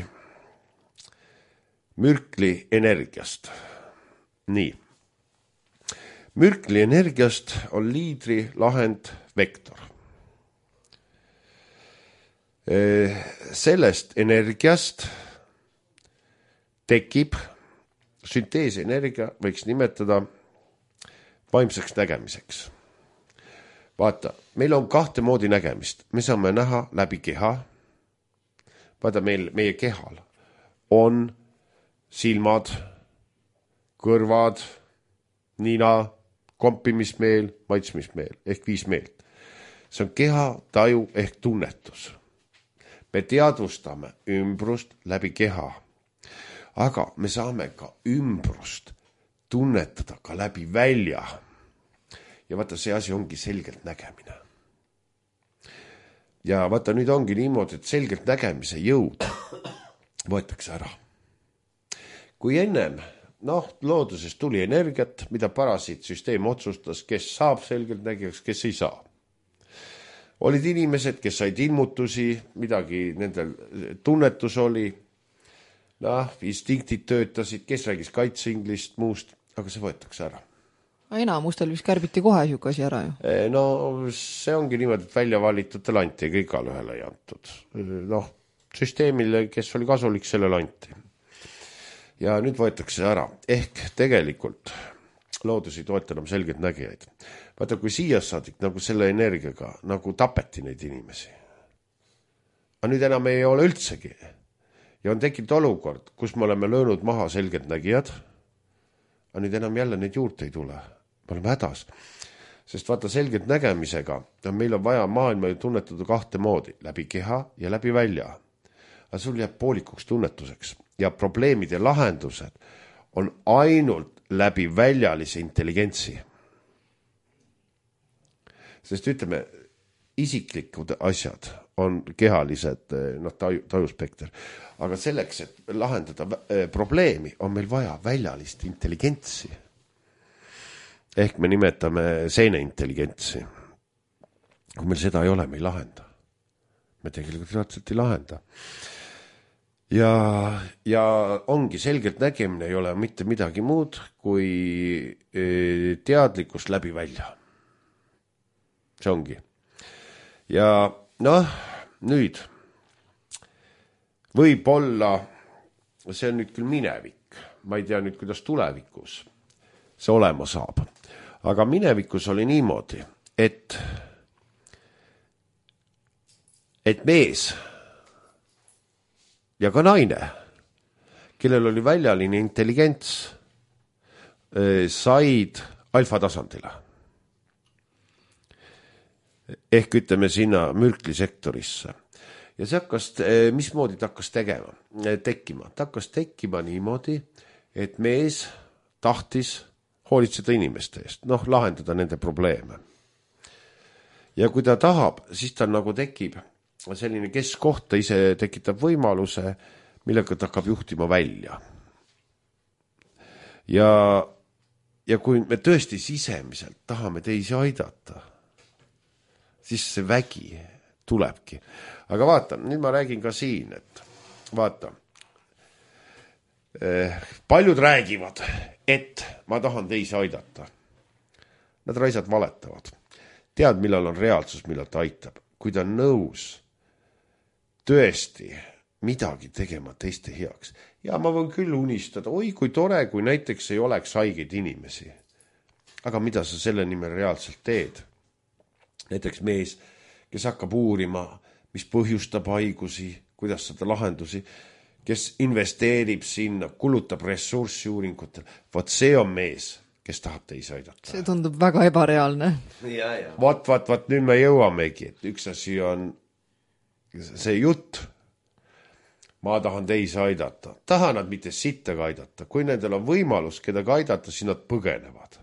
mürkli energiast. Nii. Mürkli energiast on liidri lahend vektor. Sellest energiast tekib sünteesenergia, võiks nimetada vaimseks nägemiseks. Vaata, meil on kahte moodi nägemist. Me saame näha läbi keha. Vaata, meil, meie kehal on silmad, kõrvad, nina, kompimismeel, maitsmismeel ehk viis meelt. See on keha, taju ehk tunnetus. Me teadvustame ümbrust läbi keha, aga me saame ka ümbrust tunnetada ka läbi välja. Ja vaata, see asi ongi selgelt nägemine. Ja vaata, nüüd ongi niimoodi, et selgelt nägemise jõud võetakse ära. Kui ennem noh, looduses tuli energiat, mida parasiitsüsteem otsustas, kes saab selgelt nägijaks, kes ei saa. Olid inimesed, kes said ilmutusi, midagi nendel tunnetus oli, noh, instinktid töötasid, kes räägis kaitseinglist, muust, aga see võetakse ära. Enamustel vist kärbiti kohe siuke asi ära ju? No see ongi niimoodi, et välja valitutele anti, ega igal ühele ei antud. Noh, süsteemile, kes oli kasulik, sellele anti. Ja nüüd võetakse ära. Ehk tegelikult loodus ei toeta enam selgelt nägijaid. Vaata, kui siia saadik nagu selle energiaga nagu tapeti neid inimesi. Aga nüüd enam ei ole üldsegi. Ja on tekkinud olukord, kus me oleme löönud maha selgelt nägijad, aga nüüd enam jälle neid juurde ei tule. Me oleme hädas. Sest vaata, selgelt nägemisega meil on vaja maailma ju tunnetada kahte moodi, läbi keha ja läbi välja. Aga sul jääb poolikuks tunnetuseks. Ja probleemide lahendused on ainult läbi väljalise intelligentsi. Sest ütleme, isiklikud asjad on kehalised no, taju, tajuspekter. Aga selleks, et lahendada probleemi, on meil vaja väljalist intelligentsi. Ehk me nimetame seene intelligentsi. Kui meil seda ei ole, me ei lahenda. Me tegelikult reaalselt ei lahenda. Ja, ja ongi selgelt nägemine ei ole mitte midagi muud kui teadlikkus läbi välja. See ongi. Ja noh, nüüd võib olla, see on nüüd küll minevik, ma ei tea nüüd, kuidas tulevikus see olema saab. Aga minevikus oli niimoodi, et, et mees ja ka naine, kellel oli väljaline intelligents, said alfa tasandile. Ehk ütleme sinna mürklisektorisse. Ja see hakkas, mismoodi ta hakkas tegema, tekkima? Ta hakkas tekkima niimoodi, et mees tahtis hoolitseda inimeste eest, noh, lahendada nende probleeme. Ja kui ta tahab, siis ta nagu tekib selline keskkoht, ta ise tekitab võimaluse, millega ta hakkab juhtima välja. Ja, ja kui me tõesti sisemiselt tahame teisi aidata, siis see vägi tulebki. Aga vaata, nüüd ma räägin ka siin, et vaata, paljud räägivad, et ma tahan teisi aidata. Nad raisad valetavad. Tead, millal on reaalsus, millal ta aitab. Kui ta on nõus tõesti midagi tegema teiste heaks. Ja ma võin küll unistada, oi kui tore, kui näiteks ei oleks haigeid inimesi. Aga mida sa selle nimel reaalselt teed? näiteks mees, kes hakkab uurima, mis põhjustab haigusi, kuidas saada lahendusi, kes investeerib sinna, kulutab ressurssi uuringutel. Vaat see on mees, kes tahab teisi aidata. See tundub väga ebareaalne. Vaat, vaat, vaat nüüd me jõuamegi, et üks asi on see jutt. Ma tahan teisi aidata. Tahan nad mitte sittaga aidata. Kui nendel on võimalus kedagi aidata, siis nad põgenevad.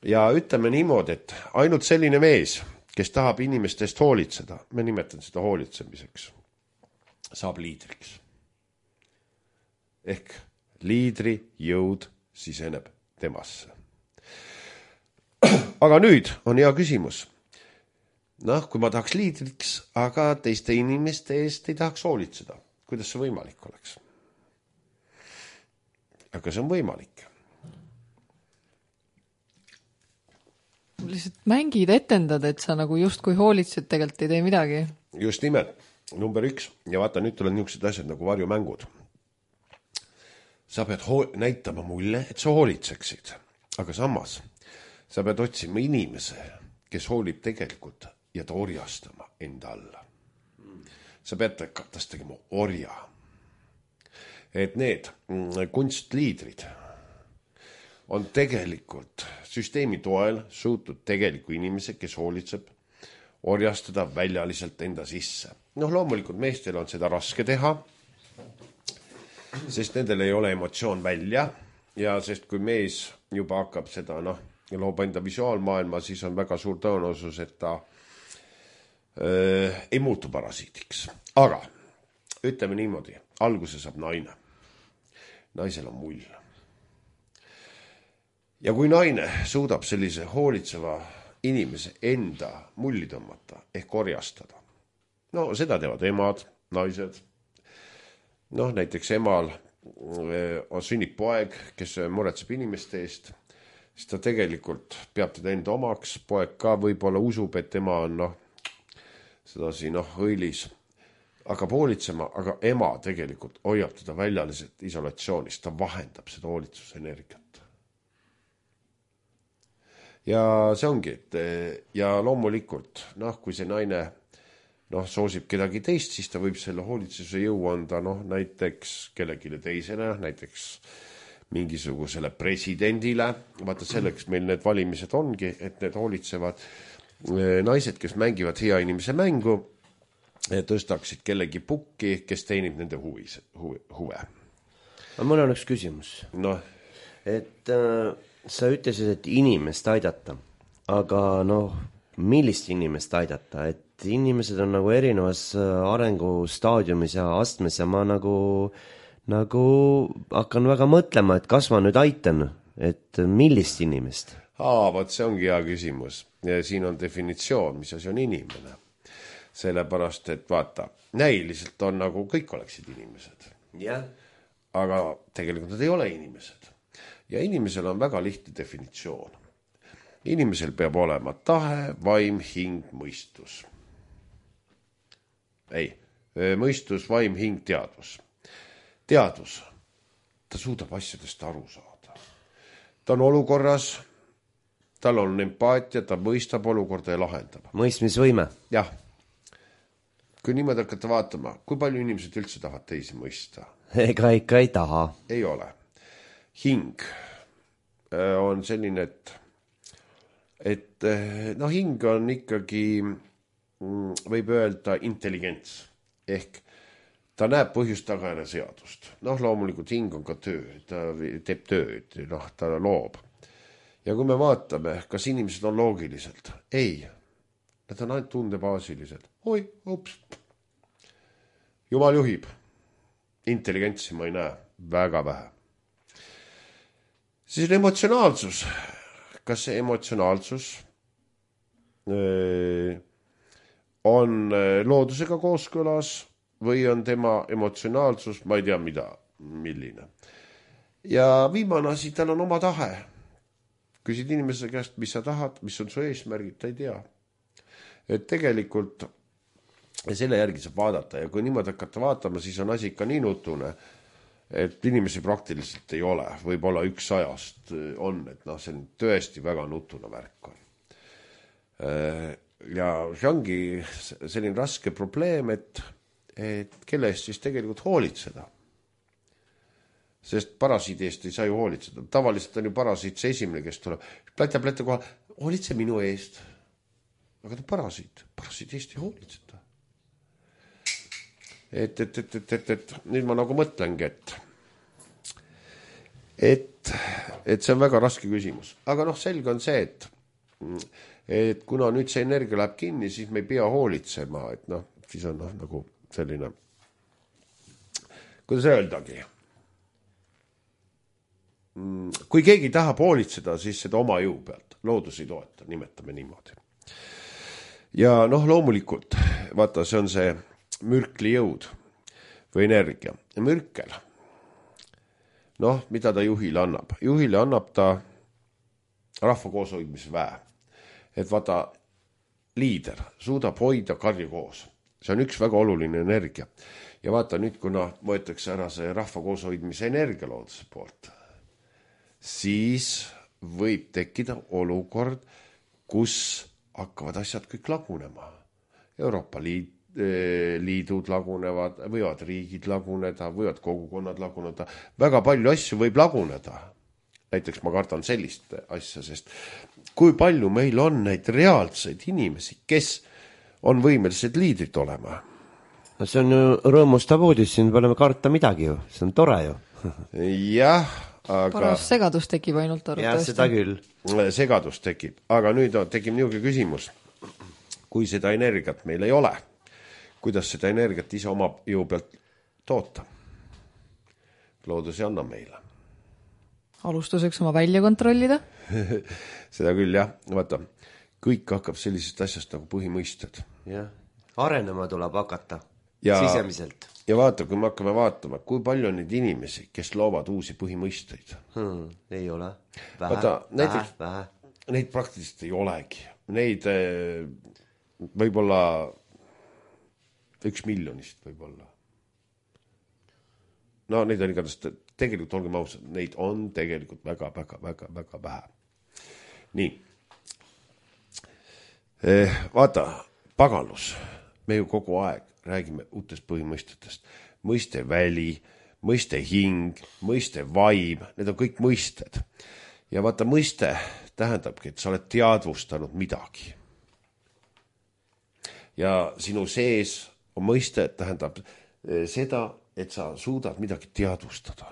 Ja ütleme niimoodi, et ainult selline mees, kes tahab inimestest hoolitseda, me nimetan seda hoolitsemiseks, saab liidriks. Ehk liidri jõud siseneb temasse. Aga nüüd on hea küsimus. Noh, kui ma tahaks liidriks, aga teiste inimeste eest ei tahaks hoolitseda. Kuidas see võimalik oleks? Aga see on võimalik. Lihtsalt mängid, etendad, et sa nagu just kui hoolitsed, tegelikult ei tee midagi. Just nimelt. Number üks. Ja vaata, nüüd tulevad niisugused asjad nagu varjumängud. Sa pead ho- näitama mulle, et sa hoolitseksid. Aga samas, sa pead otsima inimese, kes hoolib tegelikult ja ta orjastama enda alla. Sa pead tast tegema orja. Et need kunstliidrid on tegelikult süsteemi toel suutud tegeliku inimese, kes hoolitseb, orjastada väljaliselt enda sisse. Noh, loomulikult meestel on seda raske teha, sest nendel ei ole emotsioon välja ja sest kui mees juba hakkab seda, noh, loob enda visuaalmaailma, siis on väga suur tõenäosus, et ta öö, ei muutu parasiitiks. Aga ütleme niimoodi, alguse saab naine. Naisel on mull. Ja kui naine suudab sellise hoolitseva inimese enda mulli tõmmata ehk orjastada, no seda teevad emad, naised. Noh, näiteks emal on sünnib poeg, kes muretseb inimeste eest, siis ta tegelikult peab teda enda omaks, poeg ka võib-olla usub, et tema on noh, sedasi noh, õilis, hakkab hoolitsema, aga ema tegelikult hoiab teda väljaliselt isolatsioonis, ta vahendab seda hoolitsusenergiat. Ja see ongi, et ja loomulikult, noh, kui see naine noh, soosib kedagi teist, siis ta võib selle hoolitsuse jõu anda, noh, näiteks kellegile teisele, näiteks mingisugusele presidendile. Vaata selleks meil need valimised ongi, et need hoolitsevad naised, kes mängivad hea inimese mängu, tõstaksid kellegi pukki, kes teenib nende huvis, huve. Mul on üks küsimus. No. Et äh, sa ütlesid, et inimest aidata, aga noh, millist inimest aidata, et inimesed on nagu erinevas arengustaadiumis ja astmes ja ma nagu, nagu hakkan väga mõtlema, et kas ma nüüd aitan, et millist inimest? Aa, vaat see ongi hea küsimus. Ja siin on definitsioon, mis asi on inimene. Sellepärast, et vaata, näiliselt on nagu kõik oleksid inimesed. Yeah. Aga tegelikult nad ei ole inimesed. Ja inimesel on väga lihtne definitsioon. Inimesel peab olema tahe, vaim, hing, mõistus. Ei, mõistus, vaim, hing, teadvus. Teadvus, ta suudab asjadest aru saada. Ta on olukorras, tal on empaatia, ta mõistab olukorda ja lahendab. Mõistmisvõime. Jah. Kui niimoodi hakata vaatama, kui palju inimesed üldse tahavad teisi mõista? Ega ikka ei taha. Ei ole. Hing on selline, et et no hing on ikkagi, võib öelda, intelligents. Ehk ta näeb põhjust tagajärje seadust. Noh, loomulikult hing on ka töö, ta teeb tööd, noh, ta loob. Ja kui me vaatame, kas inimesed on loogiliselt? Ei, nad on ainult tundebaasilised. Oi, ups. Jumal juhib. Intelligentsi ma ei näe, väga vähe. Siis on emotsionaalsus. Kas see emotsionaalsus on loodusega kooskõlas või on tema emotsionaalsus, ma ei tea mida, milline. Ja viimane asi, tal on oma tahe. Küsid inimese käest, mis sa tahad, mis on su eesmärgid, ta ei tea. Et tegelikult selle järgi saab vaadata ja kui niimoodi hakata vaatama, siis on asi ikka nii nutune, et inimesi praktiliselt ei ole, võib-olla üks ajast on, et noh, see on tõesti väga nutuna värk on. ja see ongi selline raske probleem, et, et kelle eest siis tegelikult hoolitseda. Sest parasiidi eest ei saa ju hoolitseda. Tavaliselt on ju parasiit see esimene, kes tuleb. Pläta, pläta koha, hoolitse minu eest. Aga ta parasiit. Parasiidi eest ei hoolitseda. Et, et, et, et, et, et nüüd ma nagu mõtlengi, et et, et see on väga raske küsimus. Aga noh, selge on see, et et kuna nüüd see energia läheb kinni, siis me ei pea hoolitsema, et noh, siis on noh, nagu selline, kuidas öeldagi, kui keegi tahab hoolitseda, siis seda oma jõu pealt, loodus ei toeta, nimetame niimoodi. Ja noh, loomulikult, vaata, see on see mürkli jõud või energia. Ja mürkel, noh, mida ta juhile annab? Juhile annab ta rahva kooshoidmise väe. Et vaata, liider suudab hoida karju koos. See on üks väga oluline energia. Ja vaata nüüd, kuna võetakse ära see rahva kooshoidmise energia looduse poolt, siis võib tekkida olukord, kus hakkavad asjad kõik lagunema. Euroopa Liit, liidud lagunevad, võivad riigid laguneda, võivad kogukonnad laguneda. Väga palju asju võib laguneda. Näiteks ma kardan sellist asja, sest kui palju meil on neid reaalseid inimesi, kes on võimelised liidrid olema. No see on ju rõõmustav uudis, siin pole karta midagi ju, see on tore ju. Jah, aga... Paras segadus tekib ainult arvatavasti. Jah, seda küll. Segadus tekib, aga nüüd tekib niuke küsimus, kui seda energiat meil ei ole, kuidas seda energiat ise oma jõu pealt toota? Loodus ei anna meile. Alustuseks oma välja kontrollida? Seda küll, jah. Vaata, kõik hakkab sellisest asjast nagu põhimõisted. Jah, arenema tuleb hakata ja, sisemiselt. Ja vaata, kui me hakkame vaatama, kui palju on neid inimesi, kes loovad uusi põhimõisteid. Hmm, ei ole. Vähe, vaata, näiteks, vähe. Neid praktiliselt ei olegi. Neid võib-olla üks miljonist võib-olla. No neid on igatahes, tegelikult olgem ausad, neid on tegelikult väga, väga, väga, väga vähe. Nii. Vaata, pagalus, me ju kogu aeg räägime uutest põhimõistetest. Mõiste väli, mõiste hing, mõiste vaim, need on kõik mõisted. Ja vaata, mõiste tähendabki, et sa oled teadvustanud midagi. Ja sinu sees on mõiste, tähendab seda, et sa suudad midagi teadvustada.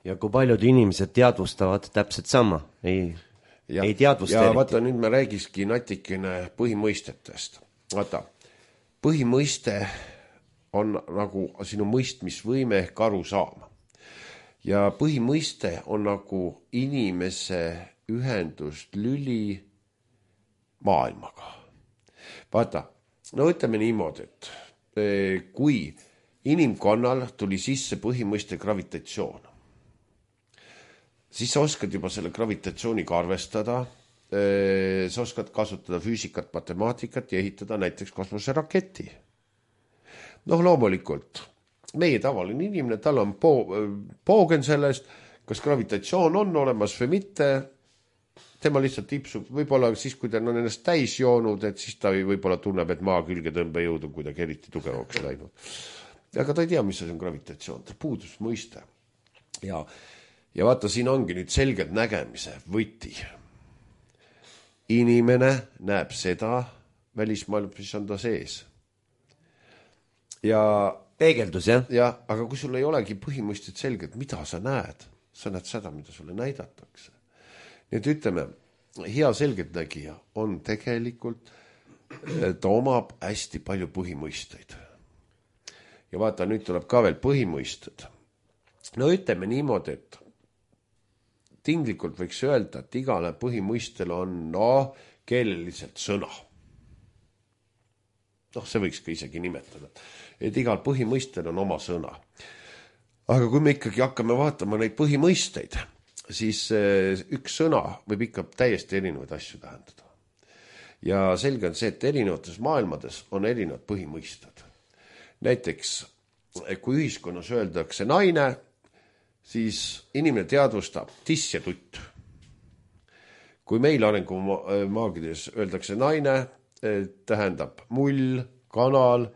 Ja kui paljud inimesed teadvustavad täpselt sama, ei, ja, ei teadvusta ja eriti. Vaata, nüüd me räägiski natikene põhimõistetest. Vaata, põhimõiste on nagu sinu mõistmisvõime ehk aru saama. Ja põhimõiste on nagu inimese ühendust lüli maailmaga. Vaata, no ütleme niimoodi, et kui inimkonnal tuli sisse põhimõiste gravitatsioon, siis sa oskad juba selle gravitatsiooniga arvestada, sa oskad kasutada füüsikat, matemaatikat ja ehitada näiteks kosmoseraketi. Noh, loomulikult, meie tavaline inimene, tal on po- poogen sellest, kas gravitatsioon on olemas või mitte, tema lihtsalt tipsub, võib-olla siis, kui ta on ennast täis joonud, et siis ta võib-olla tunneb, et maa külge tõmbejõud on kuidagi eriti tugevaks läinud. Aga ta ei tea, mis see on gravitatsioon, ta puudus mõiste. Ja, ja vaata, siin ongi nüüd selgelt nägemise võti. Inimene näeb seda välismaailma, mis on ta sees. Ja peegeldus, jah? Ja, aga kui sul ei olegi põhimõisted selgelt, mida sa näed, sa näed seda, mida sulle näidatakse. Nüüd ütleme, hea selgeltnägija on tegelikult, ta omab hästi palju põhimõisteid. Ja vaata, nüüd tuleb ka veel põhimõisted. No ütleme niimoodi, et tinglikult võiks öelda, et igale põhimõistel on no, keeleliselt sõna. Noh, see võiks ka isegi nimetada. Et igal põhimõistel on oma sõna. Aga kui me ikkagi hakkame vaatama neid põhimõisteid, siis üks sõna võib ikka täiesti erinevaid asju tähendada. Ja selge on see, et erinevates maailmades on erinevad põhimõisted. Näiteks, kui ühiskonnas öeldakse naine, siis inimene teadvustab tiss ja tutt. kui meil arengumaagides öeldakse naine, tähendab mull, kanal,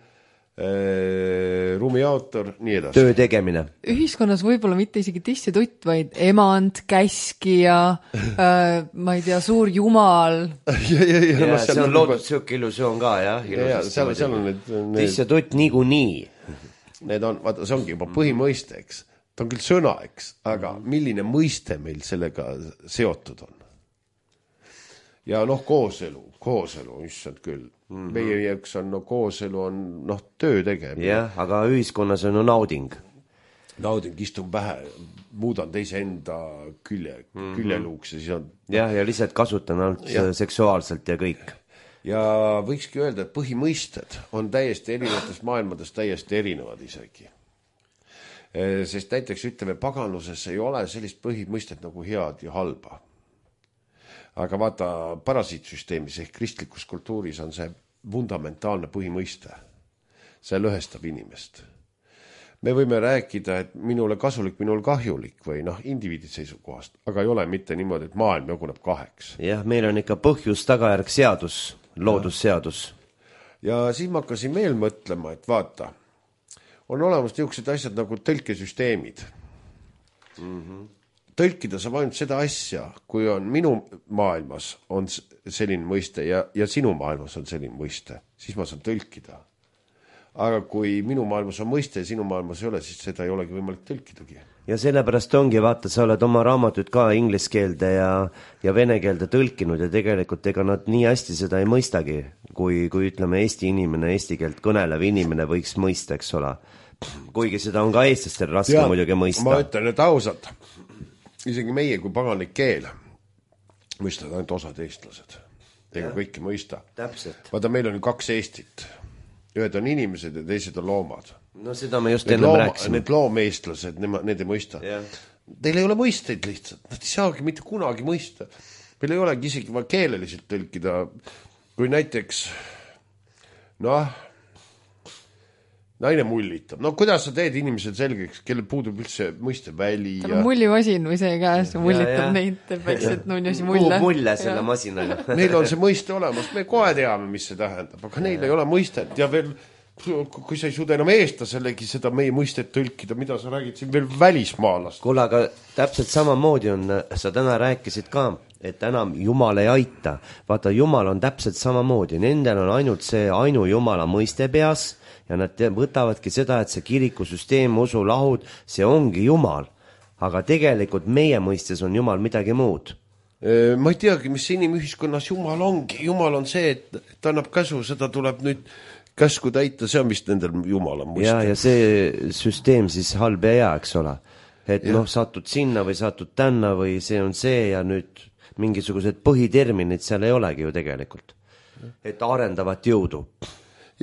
ruumiautor, nii edasi. Töö tegemine. Ühiskonnas võib-olla mitte isegi tistitutt, vaid emand, käskija, äh, ma ei tea, suur jumal. ja, ja, ja, ja no, see on loodud siuke illusioon ka, jah. Ja, ja, seal, seal on need, need... Tistitutt niigu nii. Need on, vaata, see ongi juba põhimõiste, eks. Ta on küll sõna, eks, aga milline mõiste meil sellega seotud on? Ja noh, kooselu, kooselu, issand küll. Mm-hmm. Meie jääks on, no kooselu on, noh, töö tegemine. Jah, aga ühiskonnas on no nauding. Nauding, istun pähe, muudan teise enda külje, mm-hmm. küljeluuks ja siis on... Jah, ja lihtsalt kasutan alt ja. seksuaalselt ja kõik. Ja võikski öelda, et põhimõisted on täiesti erinevatest maailmadest täiesti erinevad isegi. Sest näiteks ütleme, paganluses ei ole sellist põhimõistet nagu head ja halba. Aga vaata, parasiitsüsteemis ehk kristlikus kultuuris on see fundamentaalne põhimõiste. See lõhestab inimest. Me võime rääkida, et minule kasulik, minule kahjulik või noh, indiviidi seisukohast, aga ei ole mitte niimoodi, et maailm jaguneb kaheks. Jah, meil on ikka põhjus tagajärg seadus, loodusseadus. Ja siis ma hakkasin veel mõtlema, et vaata, on olemas niisugused asjad nagu tõlkesüsteemid. Mhm. Tõlkida saab ainult seda asja, kui on minu maailmas on selline mõiste ja, ja sinu maailmas on selline mõiste, siis ma saan tõlkida. Aga kui minu maailmas on mõiste ja sinu maailmas ei ole, siis seda ei olegi võimalik tõlkidagi. Ja sellepärast ongi, vaata, sa oled oma raamatut ka inglise keelde ja, ja vene keelde tõlkinud ja tegelikult ega nad nii hästi seda ei mõistagi, kui, kui ütleme Eesti inimene, eesti keelt kõnelev inimene võiks mõista, eks ole. Kuigi seda on ka eestlastel raske ja, muidugi mõista. Ma ütlen, et ausalt, isegi meie kui paganlik keel mõistavad ainult osad eestlased. Ega kõiki mõista. Täpselt. Vaata, meil on ju kaks Eestit. Ühed on inimesed ja teised on loomad. No seda me just need ennem looma, rääksime. Need loomeestlased, need ei mõista. Yeah. Teil ei ole mõisteid lihtsalt. Nad ei saagi mitte kunagi mõista. Meil ei olegi isegi vaja keeleliselt tõlkida. Kui näiteks, noh, naine mullitab. No kuidas sa teed inimesed selgeks, kellel puudub üldse mõiste väli? Tal on ja... mullimasin või see käes, mullitab ja, neid, teeb väikselt nunjasi mulle. Puhub mulle selle ja. Masinaga. Neil on see mõiste olemas, me kohe teame, mis see tähendab, aga neil ja. Ei ole mõistet ja veel, kui sa ei suuda enam eestlaselegi seda meie mõistet tõlkida, mida sa räägid siin veel välismaalast. Kuule, aga täpselt samamoodi on, sa täna rääkisid ka, et enam Jumal ei aita. Vaata, Jumal on täpselt samamoodi, nendel on ainult see ainu Jumala mõiste peas, ja nad võtavadki seda, et see kirikusüsteem, usulahud, see ongi Jumal. Aga tegelikult meie mõistes on Jumal midagi muud. Ma ei teagi, mis inimühiskonnas Jumal ongi. Jumal on see, et ta annab käsu, seda tuleb nüüd käsku täita, see on vist nendel Jumala mõiste. Ja, ja see süsteem siis halb ja hea, eks ole. Et ja. Noh, satud sinna või satud tänna või see on see ja nüüd mingisugused põhiterminid seal ei olegi ju tegelikult. Et arendavat jõudu.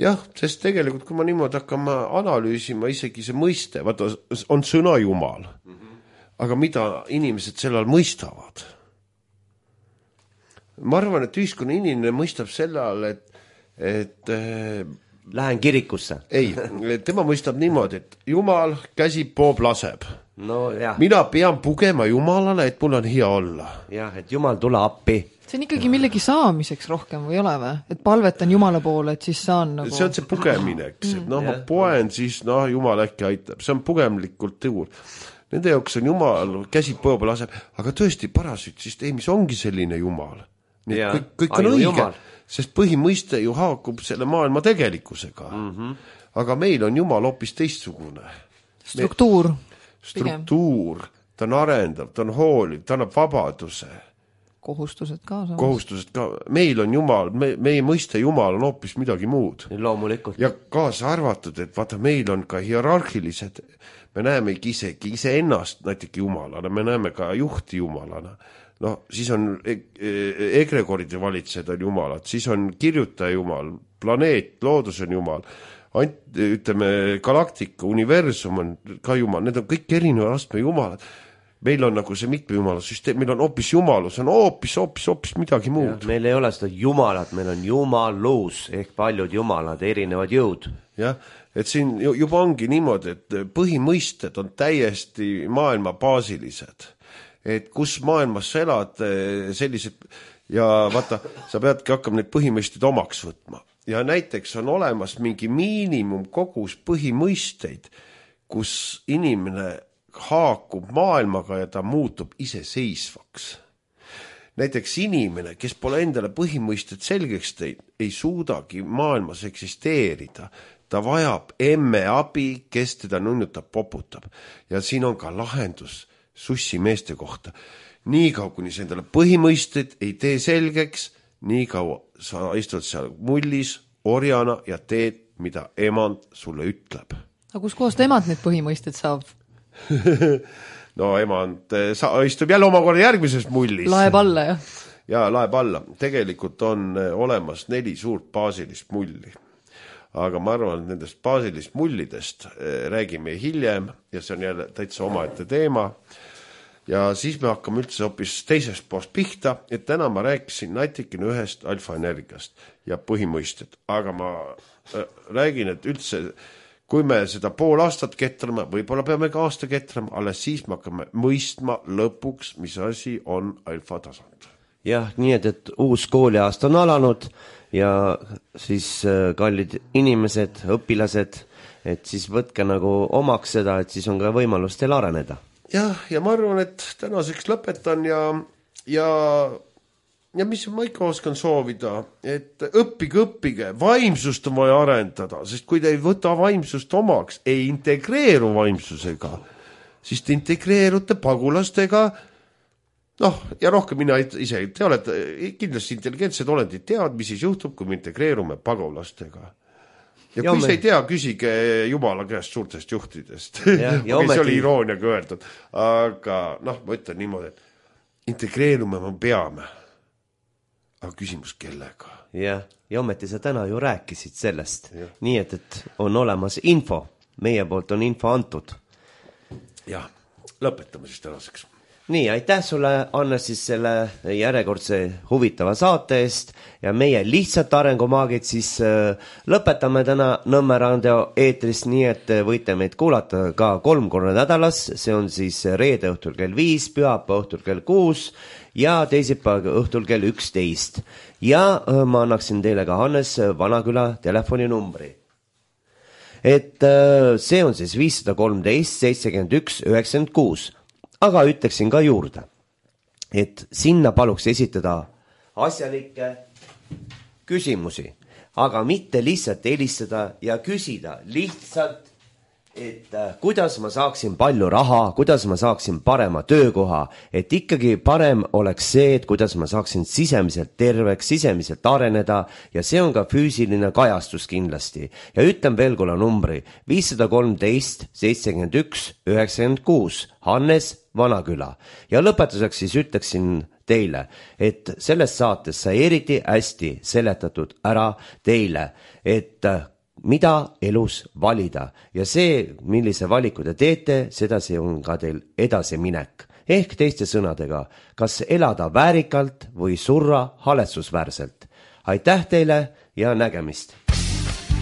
Jah, sest tegelikult, kui ma niimoodi hakkama analüüsima, isegi see mõiste, vaata, on sõna Jumal. Mm-hmm. Aga mida inimesed sellal mõistavad? Ma arvan, et ühiskonna inimene mõistab sellal, et, et lähen kirikusse. Ei, tema mõistab niimoodi, et Jumal käsib, poob, laseb. No, jah. Mina pean pugema Jumalale, et mul on hea olla. Jah, et Jumal tule appi. See on ikkagi millegi saamiseks rohkem või ei ole või? Et palvetan Jumala poole, et siis saan nagu... See on see pugemine, eks. Et noh, ma poen, siis noh, Jumal äkki aitab. See on pugemlikult tõur. Nende jaoks on Jumal, käsib põoba laseb, aga tõesti parasütsüsteemis ongi selline Jumal. Nii, kõik, kõik on õige, Jumal. Sest põhimõiste ju haakub selle maailma tegelikkusega. Mm-hmm. Aga meil on Jumal hoopis teistsugune. Struktuur. Struktuur, ta on arendav, ta on hooliv, ta annab vabaduse. Kohustused ka. Samas. Kohustused ka. Meil on Jumal, me, meie mõiste Jumal on hoopis midagi muud. Loomulikult. Ja kaasa arvatud, et vaata, meil on ka hierarhilised, me näeme isegi ise ennast näiteks Jumalana, me näeme ka juhti Jumalana. No, siis on egregoride valitsejad on Jumalad, siis on kirjutaja Jumal, planeet, loodus on Jumal, Ant, ütleme, galaktika, universum on ka Jumal, need on kõik erineva astme Jumalad. Meil on nagu see mitme Jumala süsteem, meil on hoopis Jumalus, on hoopis, hoopis, hoopis midagi muud. Ja, meil ei ole seda Jumalat, meil on Jumalus ehk paljud Jumalad, erinevad jõud. Jah, et siin juba ongi niimoodi, et põhimõisted on täiesti maailma baasilised. et kus maailmas sa elad, sellised ja vaata, sa peadki hakkama neid põhimõisteid omaks võtma. Ja näiteks on olemas mingi miinimum kogus põhimõisteid, kus inimene haakub maailmaga ja ta muutub iseseisvaks. Näiteks inimene, kes pole endale põhimõisted selgeks teid, ei suudagi maailmas eksisteerida. Ta vajab emme abi, kes teda nunnutab, poputab. Ja siin on ka lahendus sussi meeste kohta. Nii kaua, kuni sa endale põhimõisted ei tee selgeks, nii kaua sa istud seal mullis, orjana ja teed, mida emand sulle ütleb. Aga kus kohast emad need põhimõisted saab? No emand sa, istub jälle omakorda järgmises mullis. Laeb alla, jah? Ja, laeb alla. Tegelikult on olemas neli suurt baasilist mulli. Aga ma arvan, et nendest baasilist mullidest räägime hiljem ja see on jälle täitsa omaette teema. Ja siis me hakkame üldse hoopis teisest poost pihta, et täna ma rääkisin natikene ühest alfaenergiast ja põhimõisted. Aga ma räägin, et üldse kui me seda pool aastat ketrame, võib-olla peame ka aasta ketrama, alles siis me hakkame mõistma lõpuks, mis asi on alfa tasand. Jah, nii et, et uus kooliaasta on alanud ja siis kallid inimesed, õpilased, et siis võtke nagu omaks seda, et siis on ka võimalus teil areneda. Jah, ja ma arvan, et tänaseks lõpetan ja, ja ja mis ma ikka oskan soovida, et õppige, õppige, vaimsust on vaja arendada, sest kui te ei võta vaimsust omaks, ei integreeru vaimsusega, siis te integreerute pagulastega, noh, ja rohkem mina ise, te olete kindlasti intelligentsed olendid, teavad, mis siis juhtub, kui me integreerume pagulastega. Ja kui see ei tea, küsige Jumala käest suurtest juhtidest. Ja, ja okay, see oli irooniaga öeldud, aga noh, ma ütlen niimoodi, et integreerume me peame. Aga küsimus kellega? Ja, ja ometi sa täna ju rääkisid sellest. Ja. Nii et, et on olemas info. Meie poolt on info antud. Ja, lõpetame siis tänaseks. Nii, aitäh sulle, Anne, siis selle järjekordse huvitava saate eest ja meie lihtsalt arengumaagid siis äh, lõpetame täna Nõmme radio eetris, nii et võite meid kuulata ka kolm korda nädalas. See on siis reede õhtul kell viis, pühapäeva õhtul kell kuus ja teisipäeva õhtul kell üksteist. Ja ma annaksin teile ka Hannes Vanaküla telefoninumbri. Et see on siis viis kolmteist seitsekümmend üks üheksakümmend kuus. Aga ütleksin ka juurde, et sinna paluks esitada asjalikke küsimusi, aga mitte lihtsalt helistada ja küsida lihtsalt, et kuidas ma saaksin palju raha, kuidas ma saaksin parema töökoha, et ikkagi parem oleks see, et kuidas ma saaksin sisemiselt terveks, sisemiselt areneda ja see on ka füüsiline kajastus kindlasti. Ja ütlen veel kuule numbri viis kolmteist seitsekümmend üks üheksakümmend kuus, Hannes Vanaküla. Ja lõpetuseks siis ütleksin teile, et selles saates sai eriti hästi seletatud ära teile, et mida elus valida ja see, millise valiku te teete, seda see on ka teil edasiminek. Ehk teiste sõnadega, kas elada väärikalt või surra haletsusväärselt. Aitäh teile ja nägemist!